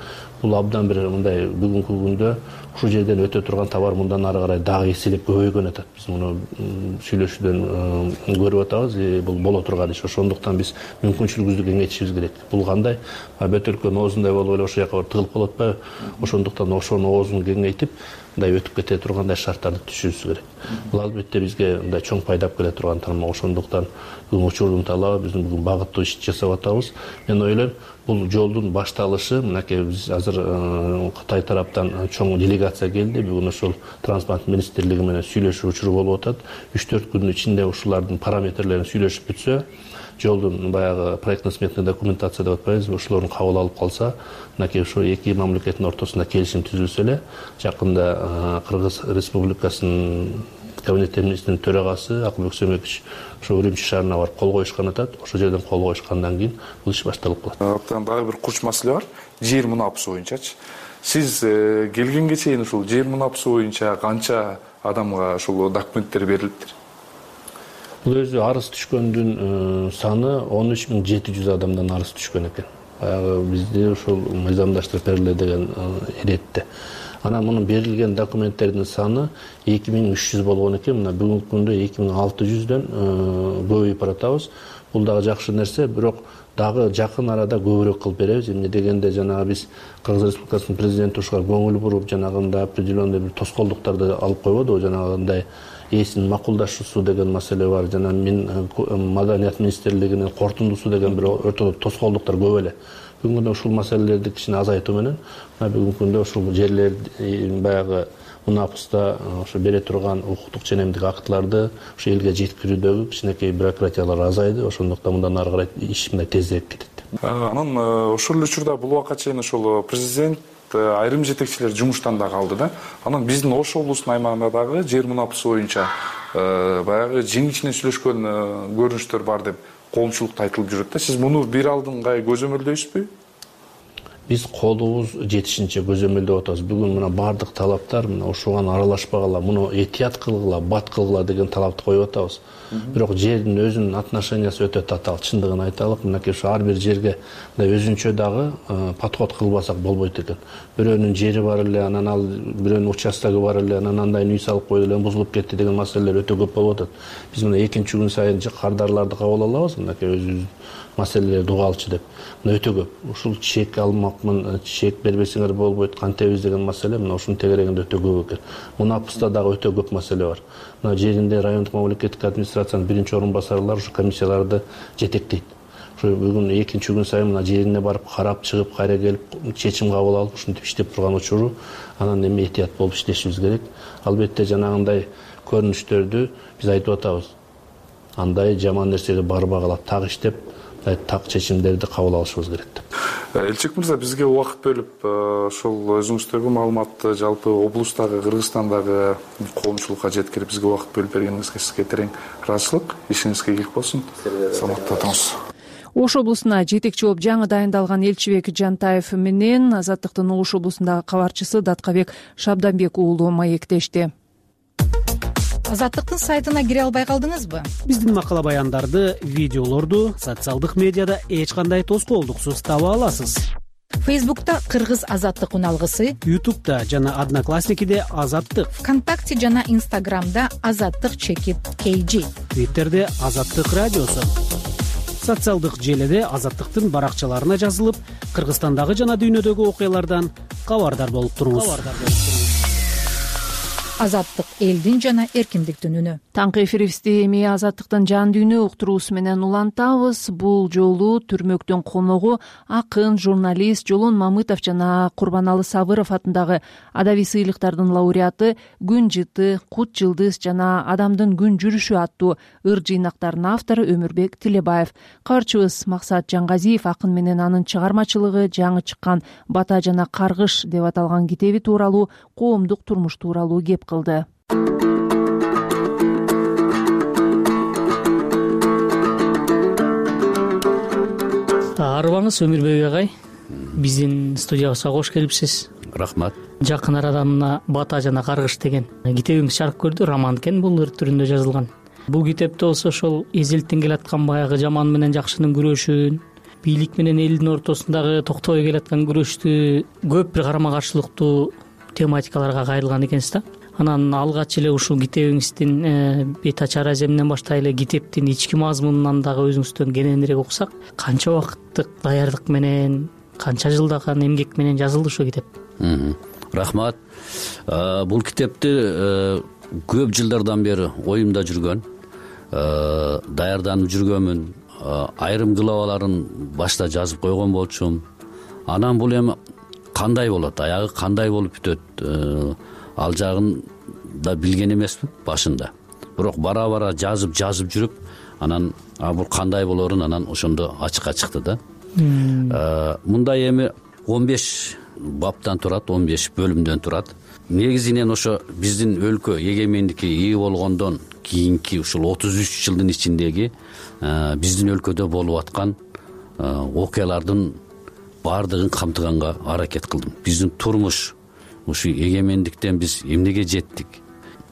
Speaker 1: Бул абдан бир мындай бүгүнкү күндө ушул жерден өтө турган товар мындан ары карай дагы эселеп көбөйгөн атат. Биз муну сүйлөшүүдөн көрүп атабыз, бул боло турган иш. Ошондуктан биз мүмкүнчүлүгүбүздү кеңейтишибиз керек. Бул кандай? Бөт өлкөнүн оозундай болуп эле ошол жака тыгылып калып атпайбы? Ошондуктан ошонун оозун кеңейтип, мындай өтүп кете тургандай шарттарды түзүшүбүз керек. Бул албетте бизге мындай чоң пайдап келе турган тармак. Ошондуктан бүгүн учурдун талабы биздин бүгүн багыттуу иш жасап атабыз. Мен ойлойм, бул жолдун башталышы мынакей биз азыр Кытай тараптан чоң делегация келди. Бүгүн ошол транспорт министрлиги менен сүйлөшүү учуру болуп атат. 3-4 күндүн ичинде ушулардын параметрлерин сүйлөшүп бүтсө, жолдун баягы проектно-сметный документация деп атпайбызбы, ошолорун кабыл алып калса, мынакей ошо эки мамлекеттин ортосунда келишим түзүлсө эле, жакында Кыргыз Республикасынын кабинет министринин төрагасы Акылбек Сөмөкич ошо Урумчи шаарына барып кол коюшкан атат. Ошол жерден кол коюшкандан кийин бул иш башталып калат.
Speaker 21: Дагы бир курч маселе бар. Жер мунапысы боюнчачы. Сиз келгенге чейин ушул жер мунапысы боюнча канча адамга ушул документтер берилиптир?
Speaker 1: Бул өзү арыз түшкөндүн саны 13.700 адамдан арыз түшкөн экен. Баягы бизде ушул мыйзамдаштырып бериле деген иретте. Анан мунун берилген документтердин саны 2300 болгон экен. Мына бүгүнкү күндө 2600дөн көбөйүп баратабыз. Бул дагы жакшы нерсе, бирок дагы жакын арада көбүрөөк кылып беребиз. Эмне дегенде жанагы биз Кыргыз Республикасынын президенти ушуга көңүл буруп, жанагындай определенный бир тоскоолдуктарды алып койбодубу, жанагындай ээсинин макулдашуусу деген маселе бар. Жана мен Маданият министрлигинин кортундусу деген бир ортодо тоскоолдуктар көп эле. Бүгүнкү күндө ушул маселелерди кичине азайтуу менен бүгүнкү күндө ушул жерлер баягы мунапыста ошо бере турган укуктук ченемдик актыларды ошо элге жеткирүүдөгү кичинекей бюрократиялар азайды. Ошондуктан мындан ары карай иш мындай тезирээк кетет.
Speaker 21: Анан ошол учурда бул убакка чейин ошол президент айрым жетекчилер жумуштан да калды да. Анан биздин Ош облусунун аймагында дагы жер мунапысы боюнча баягы жеңичинен сүйлөшкөн көрүнүштөр бар деп коомчулукта айтылып жүрөт да. Сиз муну бир алдыңгай көзөмөлдөйсүзбү?
Speaker 1: биз колубуз жетишинче көзөмөлдөп атабыз. Бүгүн мына бардык талаптар мына ушуган аралашпагыла, муну этият кылгыла, бат кылгыла деген талапты коюп атабыз. Бирок жердин өзүнүн отношениясы өтө татаал, чындыгын айталык. Мынакей ушу ар бир жерге өзүнчө дагы подход кылбасак болбойт экен. Бирөөнүн жери бар эле, анан ал бирөөнүн участогу бар эле, анан андай үй салып койду эле, бузулуп кетти деген маселелер өтө көп болуп атат. Биз мына экинчи күн сайын кардарларды кабыл алабыз, мынакей өзүбүз маселелерди уга алчу деп. Мына өтө көп. Ушул чек алмакмын, чек бербесеңер болбойт, кантебиз деген маселе мына ушунун тегерегинде өтө көп экен. Мунапыста дагы өтө көп маселе бар. Мына жеринде райондук мамлекеттик администрациянын биринчи орун басарлары ушу комиссияларды жетектейт. Ушу бүгүн экинчи күн сайын мына жерине барып карап чыгып, кайра келип чечим кабыл алып ушинтип иштеп турган учуру, анан эми этият болуп иштешибиз керек. Албетте жанагындай көрүнүштөрдү биз айтып атабыз. Андай жаман нерсеге барбагыла, так иштеп, так чечимдерди кабыл алышыбыз керек деп.
Speaker 21: Элчик мырза, бизге убакыт бөлүп, ошол өзүңүздөгү маалыматты жалпы облустагы, Кыргызстандагы коомчулукка жеткирип, бизге убакыт бөлүп бергениңизге сизге терең ыраазычылык. Ишиңизге ийгилик болсун. Саламатта туруңуз.
Speaker 2: Ош облусуна жетекчи болуп жаңы дайындалган Элчибек Жантаев менен Азаттыктын Ош облусундагы кабарчысы Даткабек Шабданбек уулу маектешти.
Speaker 3: Азаттыктын сайтына кире албай калдыңызбы?
Speaker 6: Биздин макала баяндарды, видеолорду социалдык медиада эч кандай тоскоолдуксуз таба аласыз.
Speaker 3: Фейсбукта Кыргыз Азаттык уналгысы,
Speaker 6: Ютубта жана Одноклассникиде Азаттык,
Speaker 3: ВКонтакте жана Инстаграмда Азаттык _KG,
Speaker 6: Твиттерде Азаттык радиосу, социалдык желиде Азаттыктын баракчаларына жазылып, Кыргызстандагы жана дүйнөдөгү окуялардан кабардар болуп туруңуз.
Speaker 3: Азаттык элдин жана эркиндиктин үнү.
Speaker 2: Таңкы эфирибизди эми Азаттыктын жан дүйнө уктуруусу менен улантабыз. Бул жолу түрмөктүн коногу акын, журналист Жолон Мамытов жана Курбаналы Сабыров атындагы адабий сыйлыктардын лауреаты, Күн жыты, Кут жылдыз жана Адамдын күн жүрүшү аттуу ыр жыйнактарынын автору Өмүрбек Тилебаев. Кабарчыбыз Максат Жангазиев акын менен анын чыгармачылыгы, жаңы чыккан Бата жана Каргыш деп аталган китеби тууралуу, коомдук турмуш тууралуу кеп кылды.
Speaker 17: Арыбаңыз Өмүрбек агай, биздин студиябызга кош келипсиз.
Speaker 22: Рахмат.
Speaker 17: Жакын арада мына Бата жана Каргыш деген китебиңиз чыгарып көрдү, роман экен, бул ыр түрүндө жазылган. Бул китепте болсо ошол эзелттен келаткан баягы жаман менен жакшынын күрөшүн, бийлик менен элдин ортосундагы токтобой келаткан күрөштү көп бир карама каршылыктуу тематикаларга кайрылган экенсиз да. Анан алгач эле ушул китебиңиздин бет ачар аземинен баштай эле китептин ички мазмунунан дагы өзүңүздөн кененирээк уксак, канча убакыттык даярдык менен, канча жылдаган эмгек менен жазылды ушул китеп?
Speaker 22: Рахмат. Бул китепти көп жылдардан бери оюмда жүргөн, даярданып жүргөнмүн. Айрым главаларын башта жазып койгон болчумун. Анан бул эми кандай болот, аягы кандай болуп бүтөт, ал жагын да билген эмесмин башында. Бирок бара жазып жүрүп, анан бул кандай болорун анан ошондо ачыкка чыкты да. Мындай эми 15 баптан турат, 15 бөлүмдөн турат. Негизинен ошо биздин өлкө эгемендикке ээ болгондон кийинки ушул 33 жылдын ичиндеги биздин өлкөдө болуп аткан окуялардын баардыгын камтыганга аракет кылдым. Биздин турмуш, ушу эгемендиктен биз эмнеге жеттик?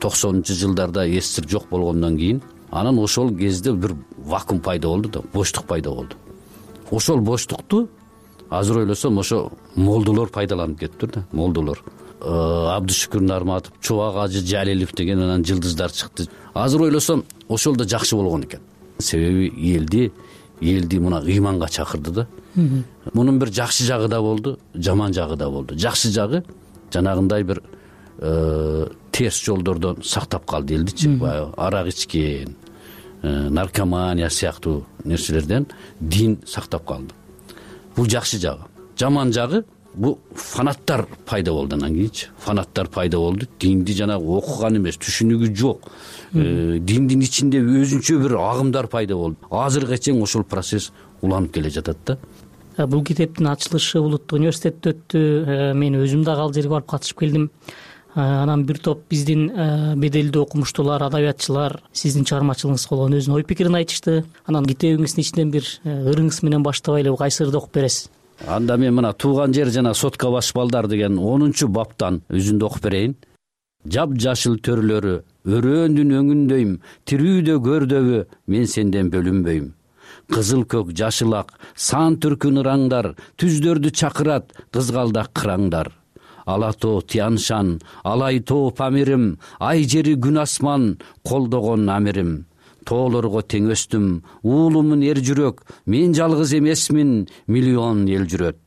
Speaker 22: 90-жылдарда СССР жок болгондон кийин, анан ошол кезде бир вакуум пайда болду да, боштук пайда болду. Ошол боштукту азыр ойлосом ошо молдолор пайдаланып кетиптир да, молдолор. Абдышүкүр Нарматов, Чубак Ажы Жалилов деген анан жылдыздар чыкты. Азыр ойлосом ошол да жакшы болгон экен. Себеби элди мына ыйманга чакырды да. Мунун бир жакшы жагы да болду, жаман жагы да болду. Жакшы жагы жанагындай бир терс жолдордон сактап калды элдичи, баягы арак ичкен, наркомания сыяктуу нерселерден дин сактап калды. Бул жакшы жагы. Жаман жагы бул фанаттар пайда болду анан кийинчи. Фанаттар пайда болду. Динди жанагы окуган эмес, түшүнүгү жок. Диндин ичинде өзүнчө бир агымдар пайда болду. Азыркыга чейин ошол процесс уланып келе жатат да.
Speaker 17: Бул китептин ачылышы Улуттук университетте өттү. Мен өзүм дагы ал жерге барып катышып келдим. Анан бир топ биздин беделдүү окумуштуулар, адабиятчылар сиздин чыгармачылыгыңызга болгон өзүнүн ой пикирин айтышты. Анан китебиңиздин ичинен бир ырыңыз менен баштабай эле кайсы ырды окуп бересиз?
Speaker 22: Анда мен мына тууган жер жана сотко баш балдар деген 10-баптан үзүндү окуп берейин. Жап-жашыл төрлөрү өрөөндүн өңүндөйм, тирүүдө көрдөбү мен сенден бөлүнбөйм. Кызыл көк жашыл ак сан түркүн ыраңдар, түздөрдү чакырат кызгалдак кыраңдар. Ала тоо Тяншан, алай тоо Памирим, ай жери күн асман колдогон амирим. Тоолорго тең өстүм, уулумун эр жүрөк, мен жалгыз эмесмин, миллион эл жүрөт.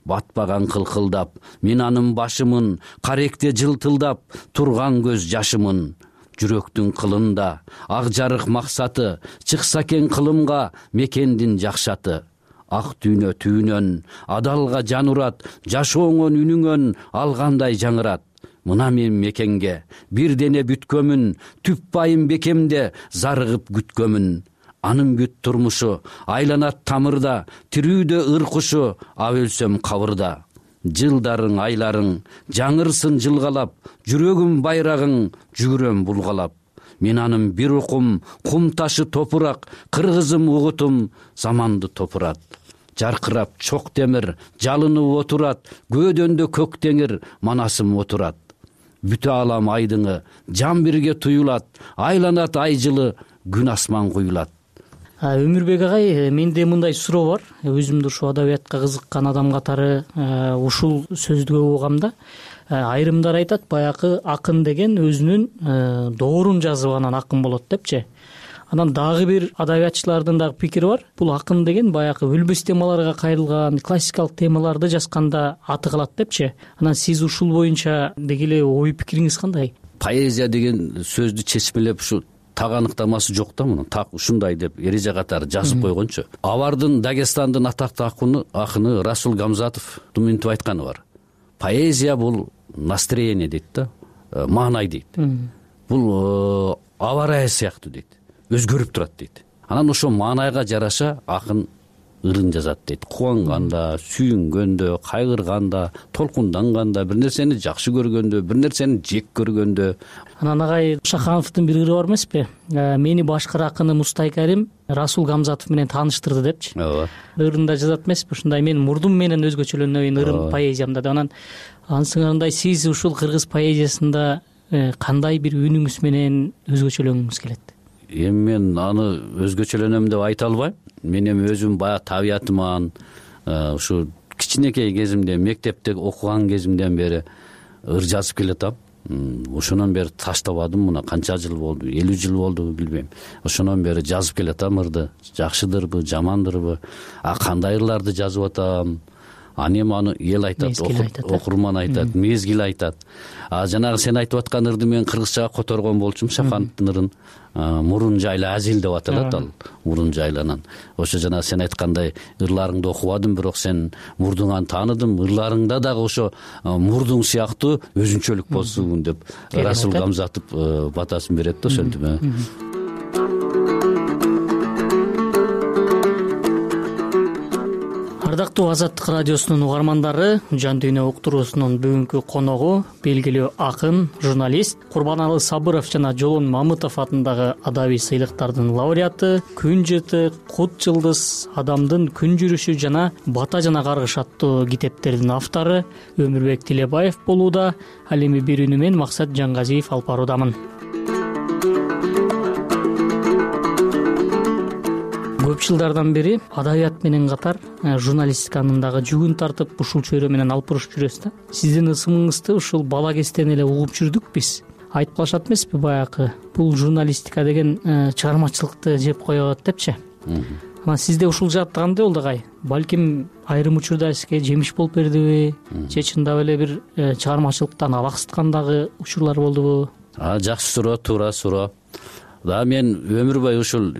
Speaker 22: Батпаган кылкылдап, мен анын башымын, каректе жылтылдап, турган көз жашымын. Жүрөктүн кылында, ак жарык максаты, чыкса экен кылымга мекендин жакшаты. Ак дүйнө түүнөн, адалга жан урат, жашооңон үнүңөн алгандай жаңырат. Мына мен мекенге бир дене бүткөмүн, түп байым бекемде зарыгып күткөмүн. Анын бүт турмушу айланат тамырда, тирүүдө ыр кушу, ап өлсөм кабырда. Жылдарың, айларың жаңырсын жылгалап, жүрөгүм байрагың жүгүрөм булгалап. Мен анын бир укум, кум ташы топурак, кыргызым угутум заманды топурат. Жаркырап чок темир, жалынып отурат, көөдөндө көк теңир, манасым отурат. Бүтө алам айдыңы, жан бирге туюлат, айланат ай жылы, күн асман куюлат.
Speaker 17: Өмүрбек агай, менде мындай суроо бар. Өзүмдү ушу адабиятка кызыккан адам катары ушул сөздү көп угам да. Айрымдар айтат, баягы акын деген өзүнүн доорун жазып анан акын болот депчи. Анан дагы бир адабиятчылардын дагы пикири бар. Бул акын деген баягы өлбөс темаларга кайрылган, классикалык темаларды жазганда аты калат депчи. Анан сиз ушул боюнча деги эле ой пикириңиз кандай?
Speaker 22: Поэзия деген сөздү чечмелеп ушу так аныктамасы жок да мунун. Так ушундай деп эреже катары жазып койгончу. Абардын Дагестандын атактуу акыны Расул Гамзатов мынтип айтканы бар. Поэзия бул настроение дейт да, маанай дейт. Бул аба ырайы сыяктуу дейт. Өзгөрүп турат дейт. Анан ошо маанайга жараша акын ырын жазат дейт. Кубанганда, сүйүнгөндө, кайгырганда, толкунданганда, бир нерсени жакшы көргөндө, бир нерсени жек көргөндө.
Speaker 17: Анан агай Шахановдун бир ыры бар эмеспи? Мени башкы акыны Мустай Карим Расул Гамзатов менен тааныштырды депчи.
Speaker 22: Ооба.
Speaker 17: Ырында жазат эмеспи? Ушундай мен мурдум менен өзгөчөлөнөйүн ырым поэзиямда да. Анан ансыңарындай сиз ушул кыргыз поэзиясында кандай бир үнүңүз менен өзгөчөлөнгүңүз келет?
Speaker 22: Эми мен аны өзгөчөлөнөм деп айта албайм. Мен эми өзүм баягы табиятыман ушу кичинекей кезимде, мектепте окуган кезимден бери ыр жазып келатам. Ошондон бери таштабадым. Мына канча жыл болду, 50 жыл болду билбейм. Ошондон бери жазып келатам ырды. Жакшыдырбы, жамандырбы, кандай ырларды жазып атам. Эми аны эл айтат, окурман айтат, мезгил айтат. Жанагы сен айтып аткан ырды мен кыргызчага которгон болчумун, Шахановдун ырын. Мурун жайлы азил деп аталат ал. Мурун жайланан. Ошо жана сен айткандай ырларыңды окубадым, бирок сен мурдуңан тааныдым. Ырларыңда дагы ошо мурдуң сыяктуу өзүнчөлүк болсун деп Расул Гамзатов батасын берет да ошентип.
Speaker 17: Ардактуу Азаттык радиосунун угармандары, Жан дүйнө уктуруусунун бүгүнкү коногу белгилүү акын, журналист Курбаналы Сабыров жана Жолон Мамытов атындагы адабий сыйлыктардын лауреаты, Күн жыртык, Кут жылдыз, Адамдын күн жүрүшү жана Бата жана Каргыш аттуу китептердин автору Өмүрбек Тилебаев болууда. Ал эми бир үнү менен Максат Жаңгазиев алып баруудамын. Көп жылдардан бери адабият менен катар журналистиканын дагы жүгүн тартып, ушул чөйрө менен алып бурушуп жүрөсүз да. Сиздин ысымыңызды ушул бала кезден эле угуп жүрдүк биз. Айтып калышат эмеспи баягы бул журналистика деген чыгармачылыкты жеп коет депчи. Анан сизде ушул жаатта кандай болду агай? Балким айрым учурда сизге жемиш болуп бердиби? Же чындап эле бир чыгармачылыктан абаксыткан дагы учурлар болдубу?
Speaker 22: Жакшы суроо, туура суроо. Мен өмүр бою ушул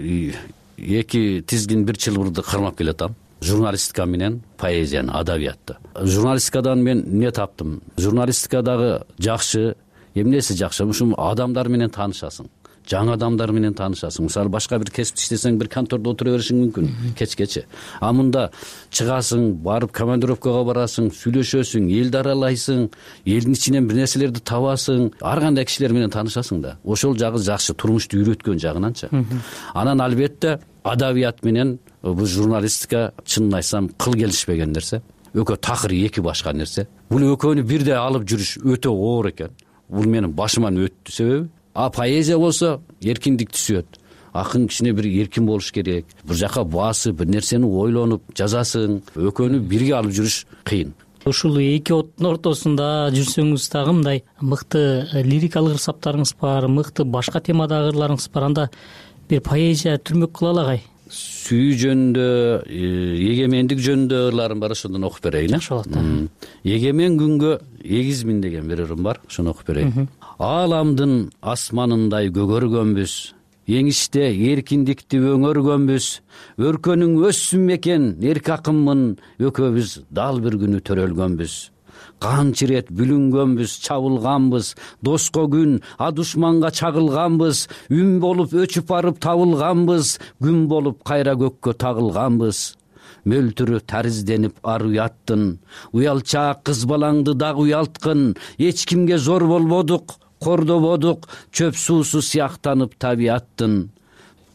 Speaker 22: эки тизгин бир чылбырды кармап келатам. Журналистика менен поэзияны, адабиятты. Журналистикадан мен эмне таптым? Журналистикадагы жакшы, эмнеси жакшы? Ушул адамдар менен таанышасың. Жаңы адамдар менен таанышасың. Мисалы башка бир кесипте иштесең бир контордо отура беришиң мүмкүн кечкече. Мында чыгасың, барып командировкага барасың, сүйлөшөсүң, элди аралайсың, элдин ичинен бир нерселерди табасың, ар кандай кишилер менен таанышасың да. Ошол жагы жакшы, турмушту үйрөткөн жагынанчы. Анан албетте адабият менен бул журналистика чынын айтсам кыл келишпеген нерсе. экөө такыр эки башка нерсе. Бул экөөнү бирдей алып жүрүш өтө оор экен. Бул менин башыман өттү себеби. Поэзия болсо эркиндик түшөт. Акын кичине бир эркин болуш керек. Бир жака басып, бир нерсени ойлонуп жазасың. Экөөнү бирге алып жүрүш кыйын.
Speaker 17: Ушул эки оттун ортосунда жүрсөңүз дагы мындай мыкты лирикалык ырсаптарыңыз бар, мыкты башка темадагы ырларыңыз бар. Анда бир поэзия түрмөк кыла алагай.
Speaker 22: Сүйүү жөнүндө, эгемендик жөнүндө ырларым бар, ошондон окуп берейин.
Speaker 17: Жакшы болот.
Speaker 22: Эгемен күнгө эгизмин деген бир ырым бар, ошону окуп берейин. Ааламдын асманындай көгөргөнбүз, эңиште эркиндикти өңөргөнбүз, өркөнүң өссүн мекен эрк акынмын, экөөбүз дал бир күнү төрөлгөнбүз. Канча ирет бүлүнгөнбүз, чабылганбыз, доско күн, а душманга чагылганбыз, үн болуп өчүп барып табылганбыз, күн болуп кайра көккө тагылганбыз. Мөлтүрү таризденип ар уяттын, уялчаак кыз балаңды дагы уялткын, эч кимге зор болбодук, кордободук, чөп суусу сыяктанып табияттын.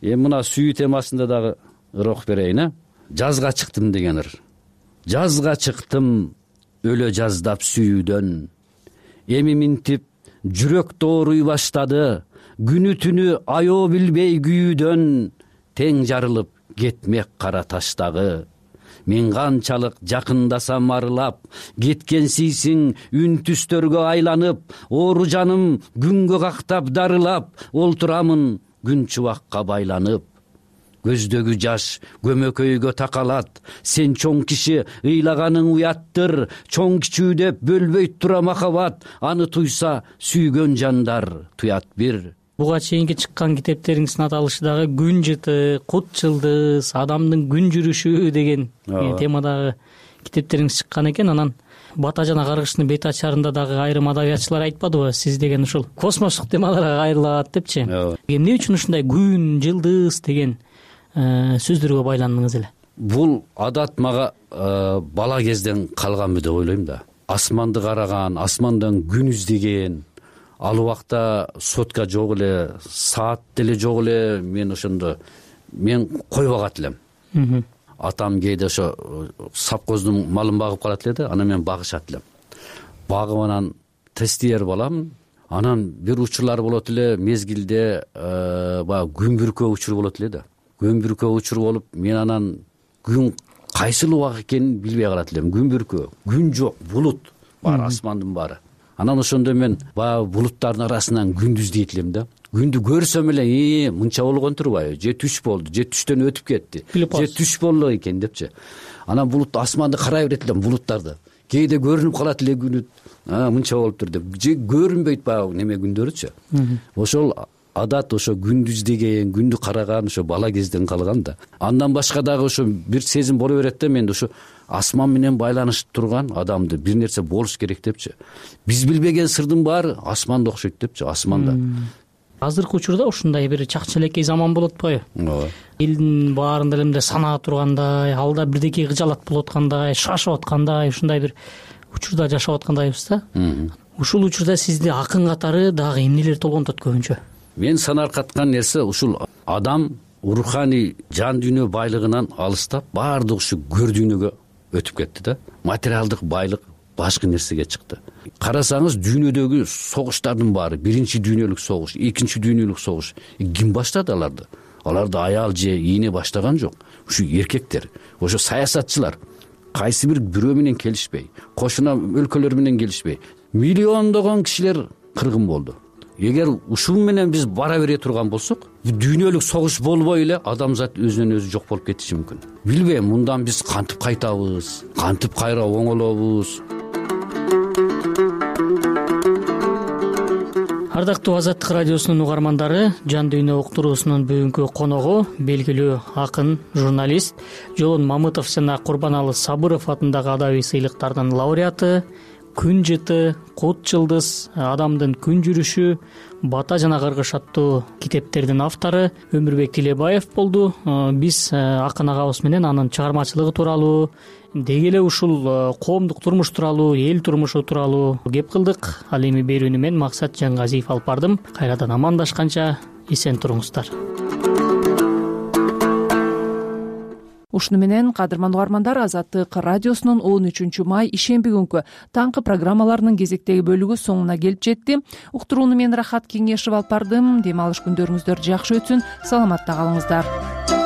Speaker 22: Мына сүйүү темасында дагы ыр окуп берейин. Жазга чыктым деген ыр. Жазга чыктым өлө жаздап сүйүүдөн, эми минтип жүрөк дооруй баштады, күнү түнү аё билбей күйүүдөн, тең жарылып кетмек кара таштагы. Мен канчалык жакындасам арылап, кеткенсийсиң үн түстөргө айланып, оору жаным күнгө кактап дарылап, олтурамын күн чубакка байланып. Көздөгү жаш көмөкөйгө такалат, сен чоң киши ыйлаганың уяттыр, чоң кичүү деп бөлбөйт тура махабат, аны туйса сүйгөн жандар туят бир.
Speaker 17: Буга чейинки чыккан китептериңиздин аталышы дагы күн жыты, кут жылдыз, адамдын күн жүрүшү деген темадагы китептериңиз чыккан экен. Анан Бата жана каргыштын бет ачарында дагы айрым адабиятчылар айтпадыбы, сиз деген ушул космостук темаларга кайрылат депчи? Эмне үчүн ушундай күн, жылдыз деген сөздөргө байландыңыз эле?
Speaker 22: Бул адат мага бала кезден калганбы деп ойлойм да. Асманды караган, асмандан күн издеген, ал убакта сотка жок эле, саат деле жок эле, мен ошондо койбогат элем. Атам кээде ошо сапкоздун малын багып калат эле да, анан мен багышат элем. Багып анан тестиер балам, анан бир учурлар болот эле, мезгилде баягы күн бүркөө учур болот эле да. Күн бүркөө учур болуп, мен анан күн кайсыл убак экенин билбей калат элем. Күн бүркөө, күн жок, булут бар, асмандын баары. Анан ошондо мен баягы булуттардын арасынан күндү издейт элем да. Күндү көрсөм эле, мынча болгон турбайбы? Же түш болду, же түштөн өтүп кетти, же түш болду экен депчи. Анан булут асманды карай берет элем, булуттарды. Кээде көрүнүп калат эле күнү, мынча болуптур деп. Же көрүнбөйт баягы неме күндөрүчү. Ошол адат ошо күндү издеген, күндү караган ошо бала кезден калган да. Андан башка дагы ошо бир сезим боло берет да, менде ошо асман менен байланышып турган адамды бир нерсе болуш керек депчи. Биз билбеген сырдын баары асманда окшойт депчи, асманда.
Speaker 17: Азыркы учурда ушундай бир чакчелекей заман болуп атпайбы? Элдин баарында эле мындай санаа тургандай, алда бирдеке кыжалат болуп аткандай, шашып аткандай, ушундай бир учурда жашап аткандайбыз да. Ушул учурда сизди акын катары дагы эмнелер толгонтот көбүнчө?
Speaker 22: Мен санаркаткан нерсе ушул адам руханий жан дүйнө байлыгынан алыстап, баардык ушу көр дүйнөгө өтүп кетти да. Материалдык байлык башка нерсеге чыкты. Карасаңыз, дүйнөдөгү согуштардын баары, биринчи дүйнөлүк согуш, экинчи дүйнөлүк согуш, ким баштады аларды? Аларды аял же ийне баштаган жок. Ушу эркектер, ошо саясатчылар, кайсы бирөө менен келишпей, кошуна өлкөлөр менен келишпей, миллиондогон кишилер кыргын болду. Эгер ушул менен биз бара бере турган болсок, дүйнөлүк согуш болбой эле адамзат өзүнөн өзү жок болуп кетиши мүмкүн. Билбейм, мындан биз кантип кайтабыз, кантип кайра оңолобуз?
Speaker 17: Ардактуу Азаттык радиосунун угармандары, Жан дүйнө уктуруусунун бүгүнкү коногу белгилүү акын, журналист Жолон Мамытов жана Курбаналы Сабыров атындагы адабий сыйлыктардын лауреаты, Күн жыты, Кут жылдыз, Адамдын күн жүрүшү, Бата жана Кыргыш аттуу китептердин автору Өмүрбек Тилебаев болду. Биз акын агабыз менен анын чыгармачылыгы тууралуу, деги эле ушул коомдук турмуш тууралуу, эл турмушу тууралуу кеп кылдык. Ал эми берүүнү мен Максат Жангазиев алып бардым. Кайрадан амандашканча эсен туруңуздар.
Speaker 2: Ушуну менен кадырман угармандар, Азаттык радиосунун 13 май ишемби күнкү таңкы программаларынын кезектеги бөлүгү соңуна келип жетти. Уктурууну мен Рахат Кеңешев алып бардым. Дем алыш күндөрүңүздөр жакшы өтсүн. Саламатта калыңыздар.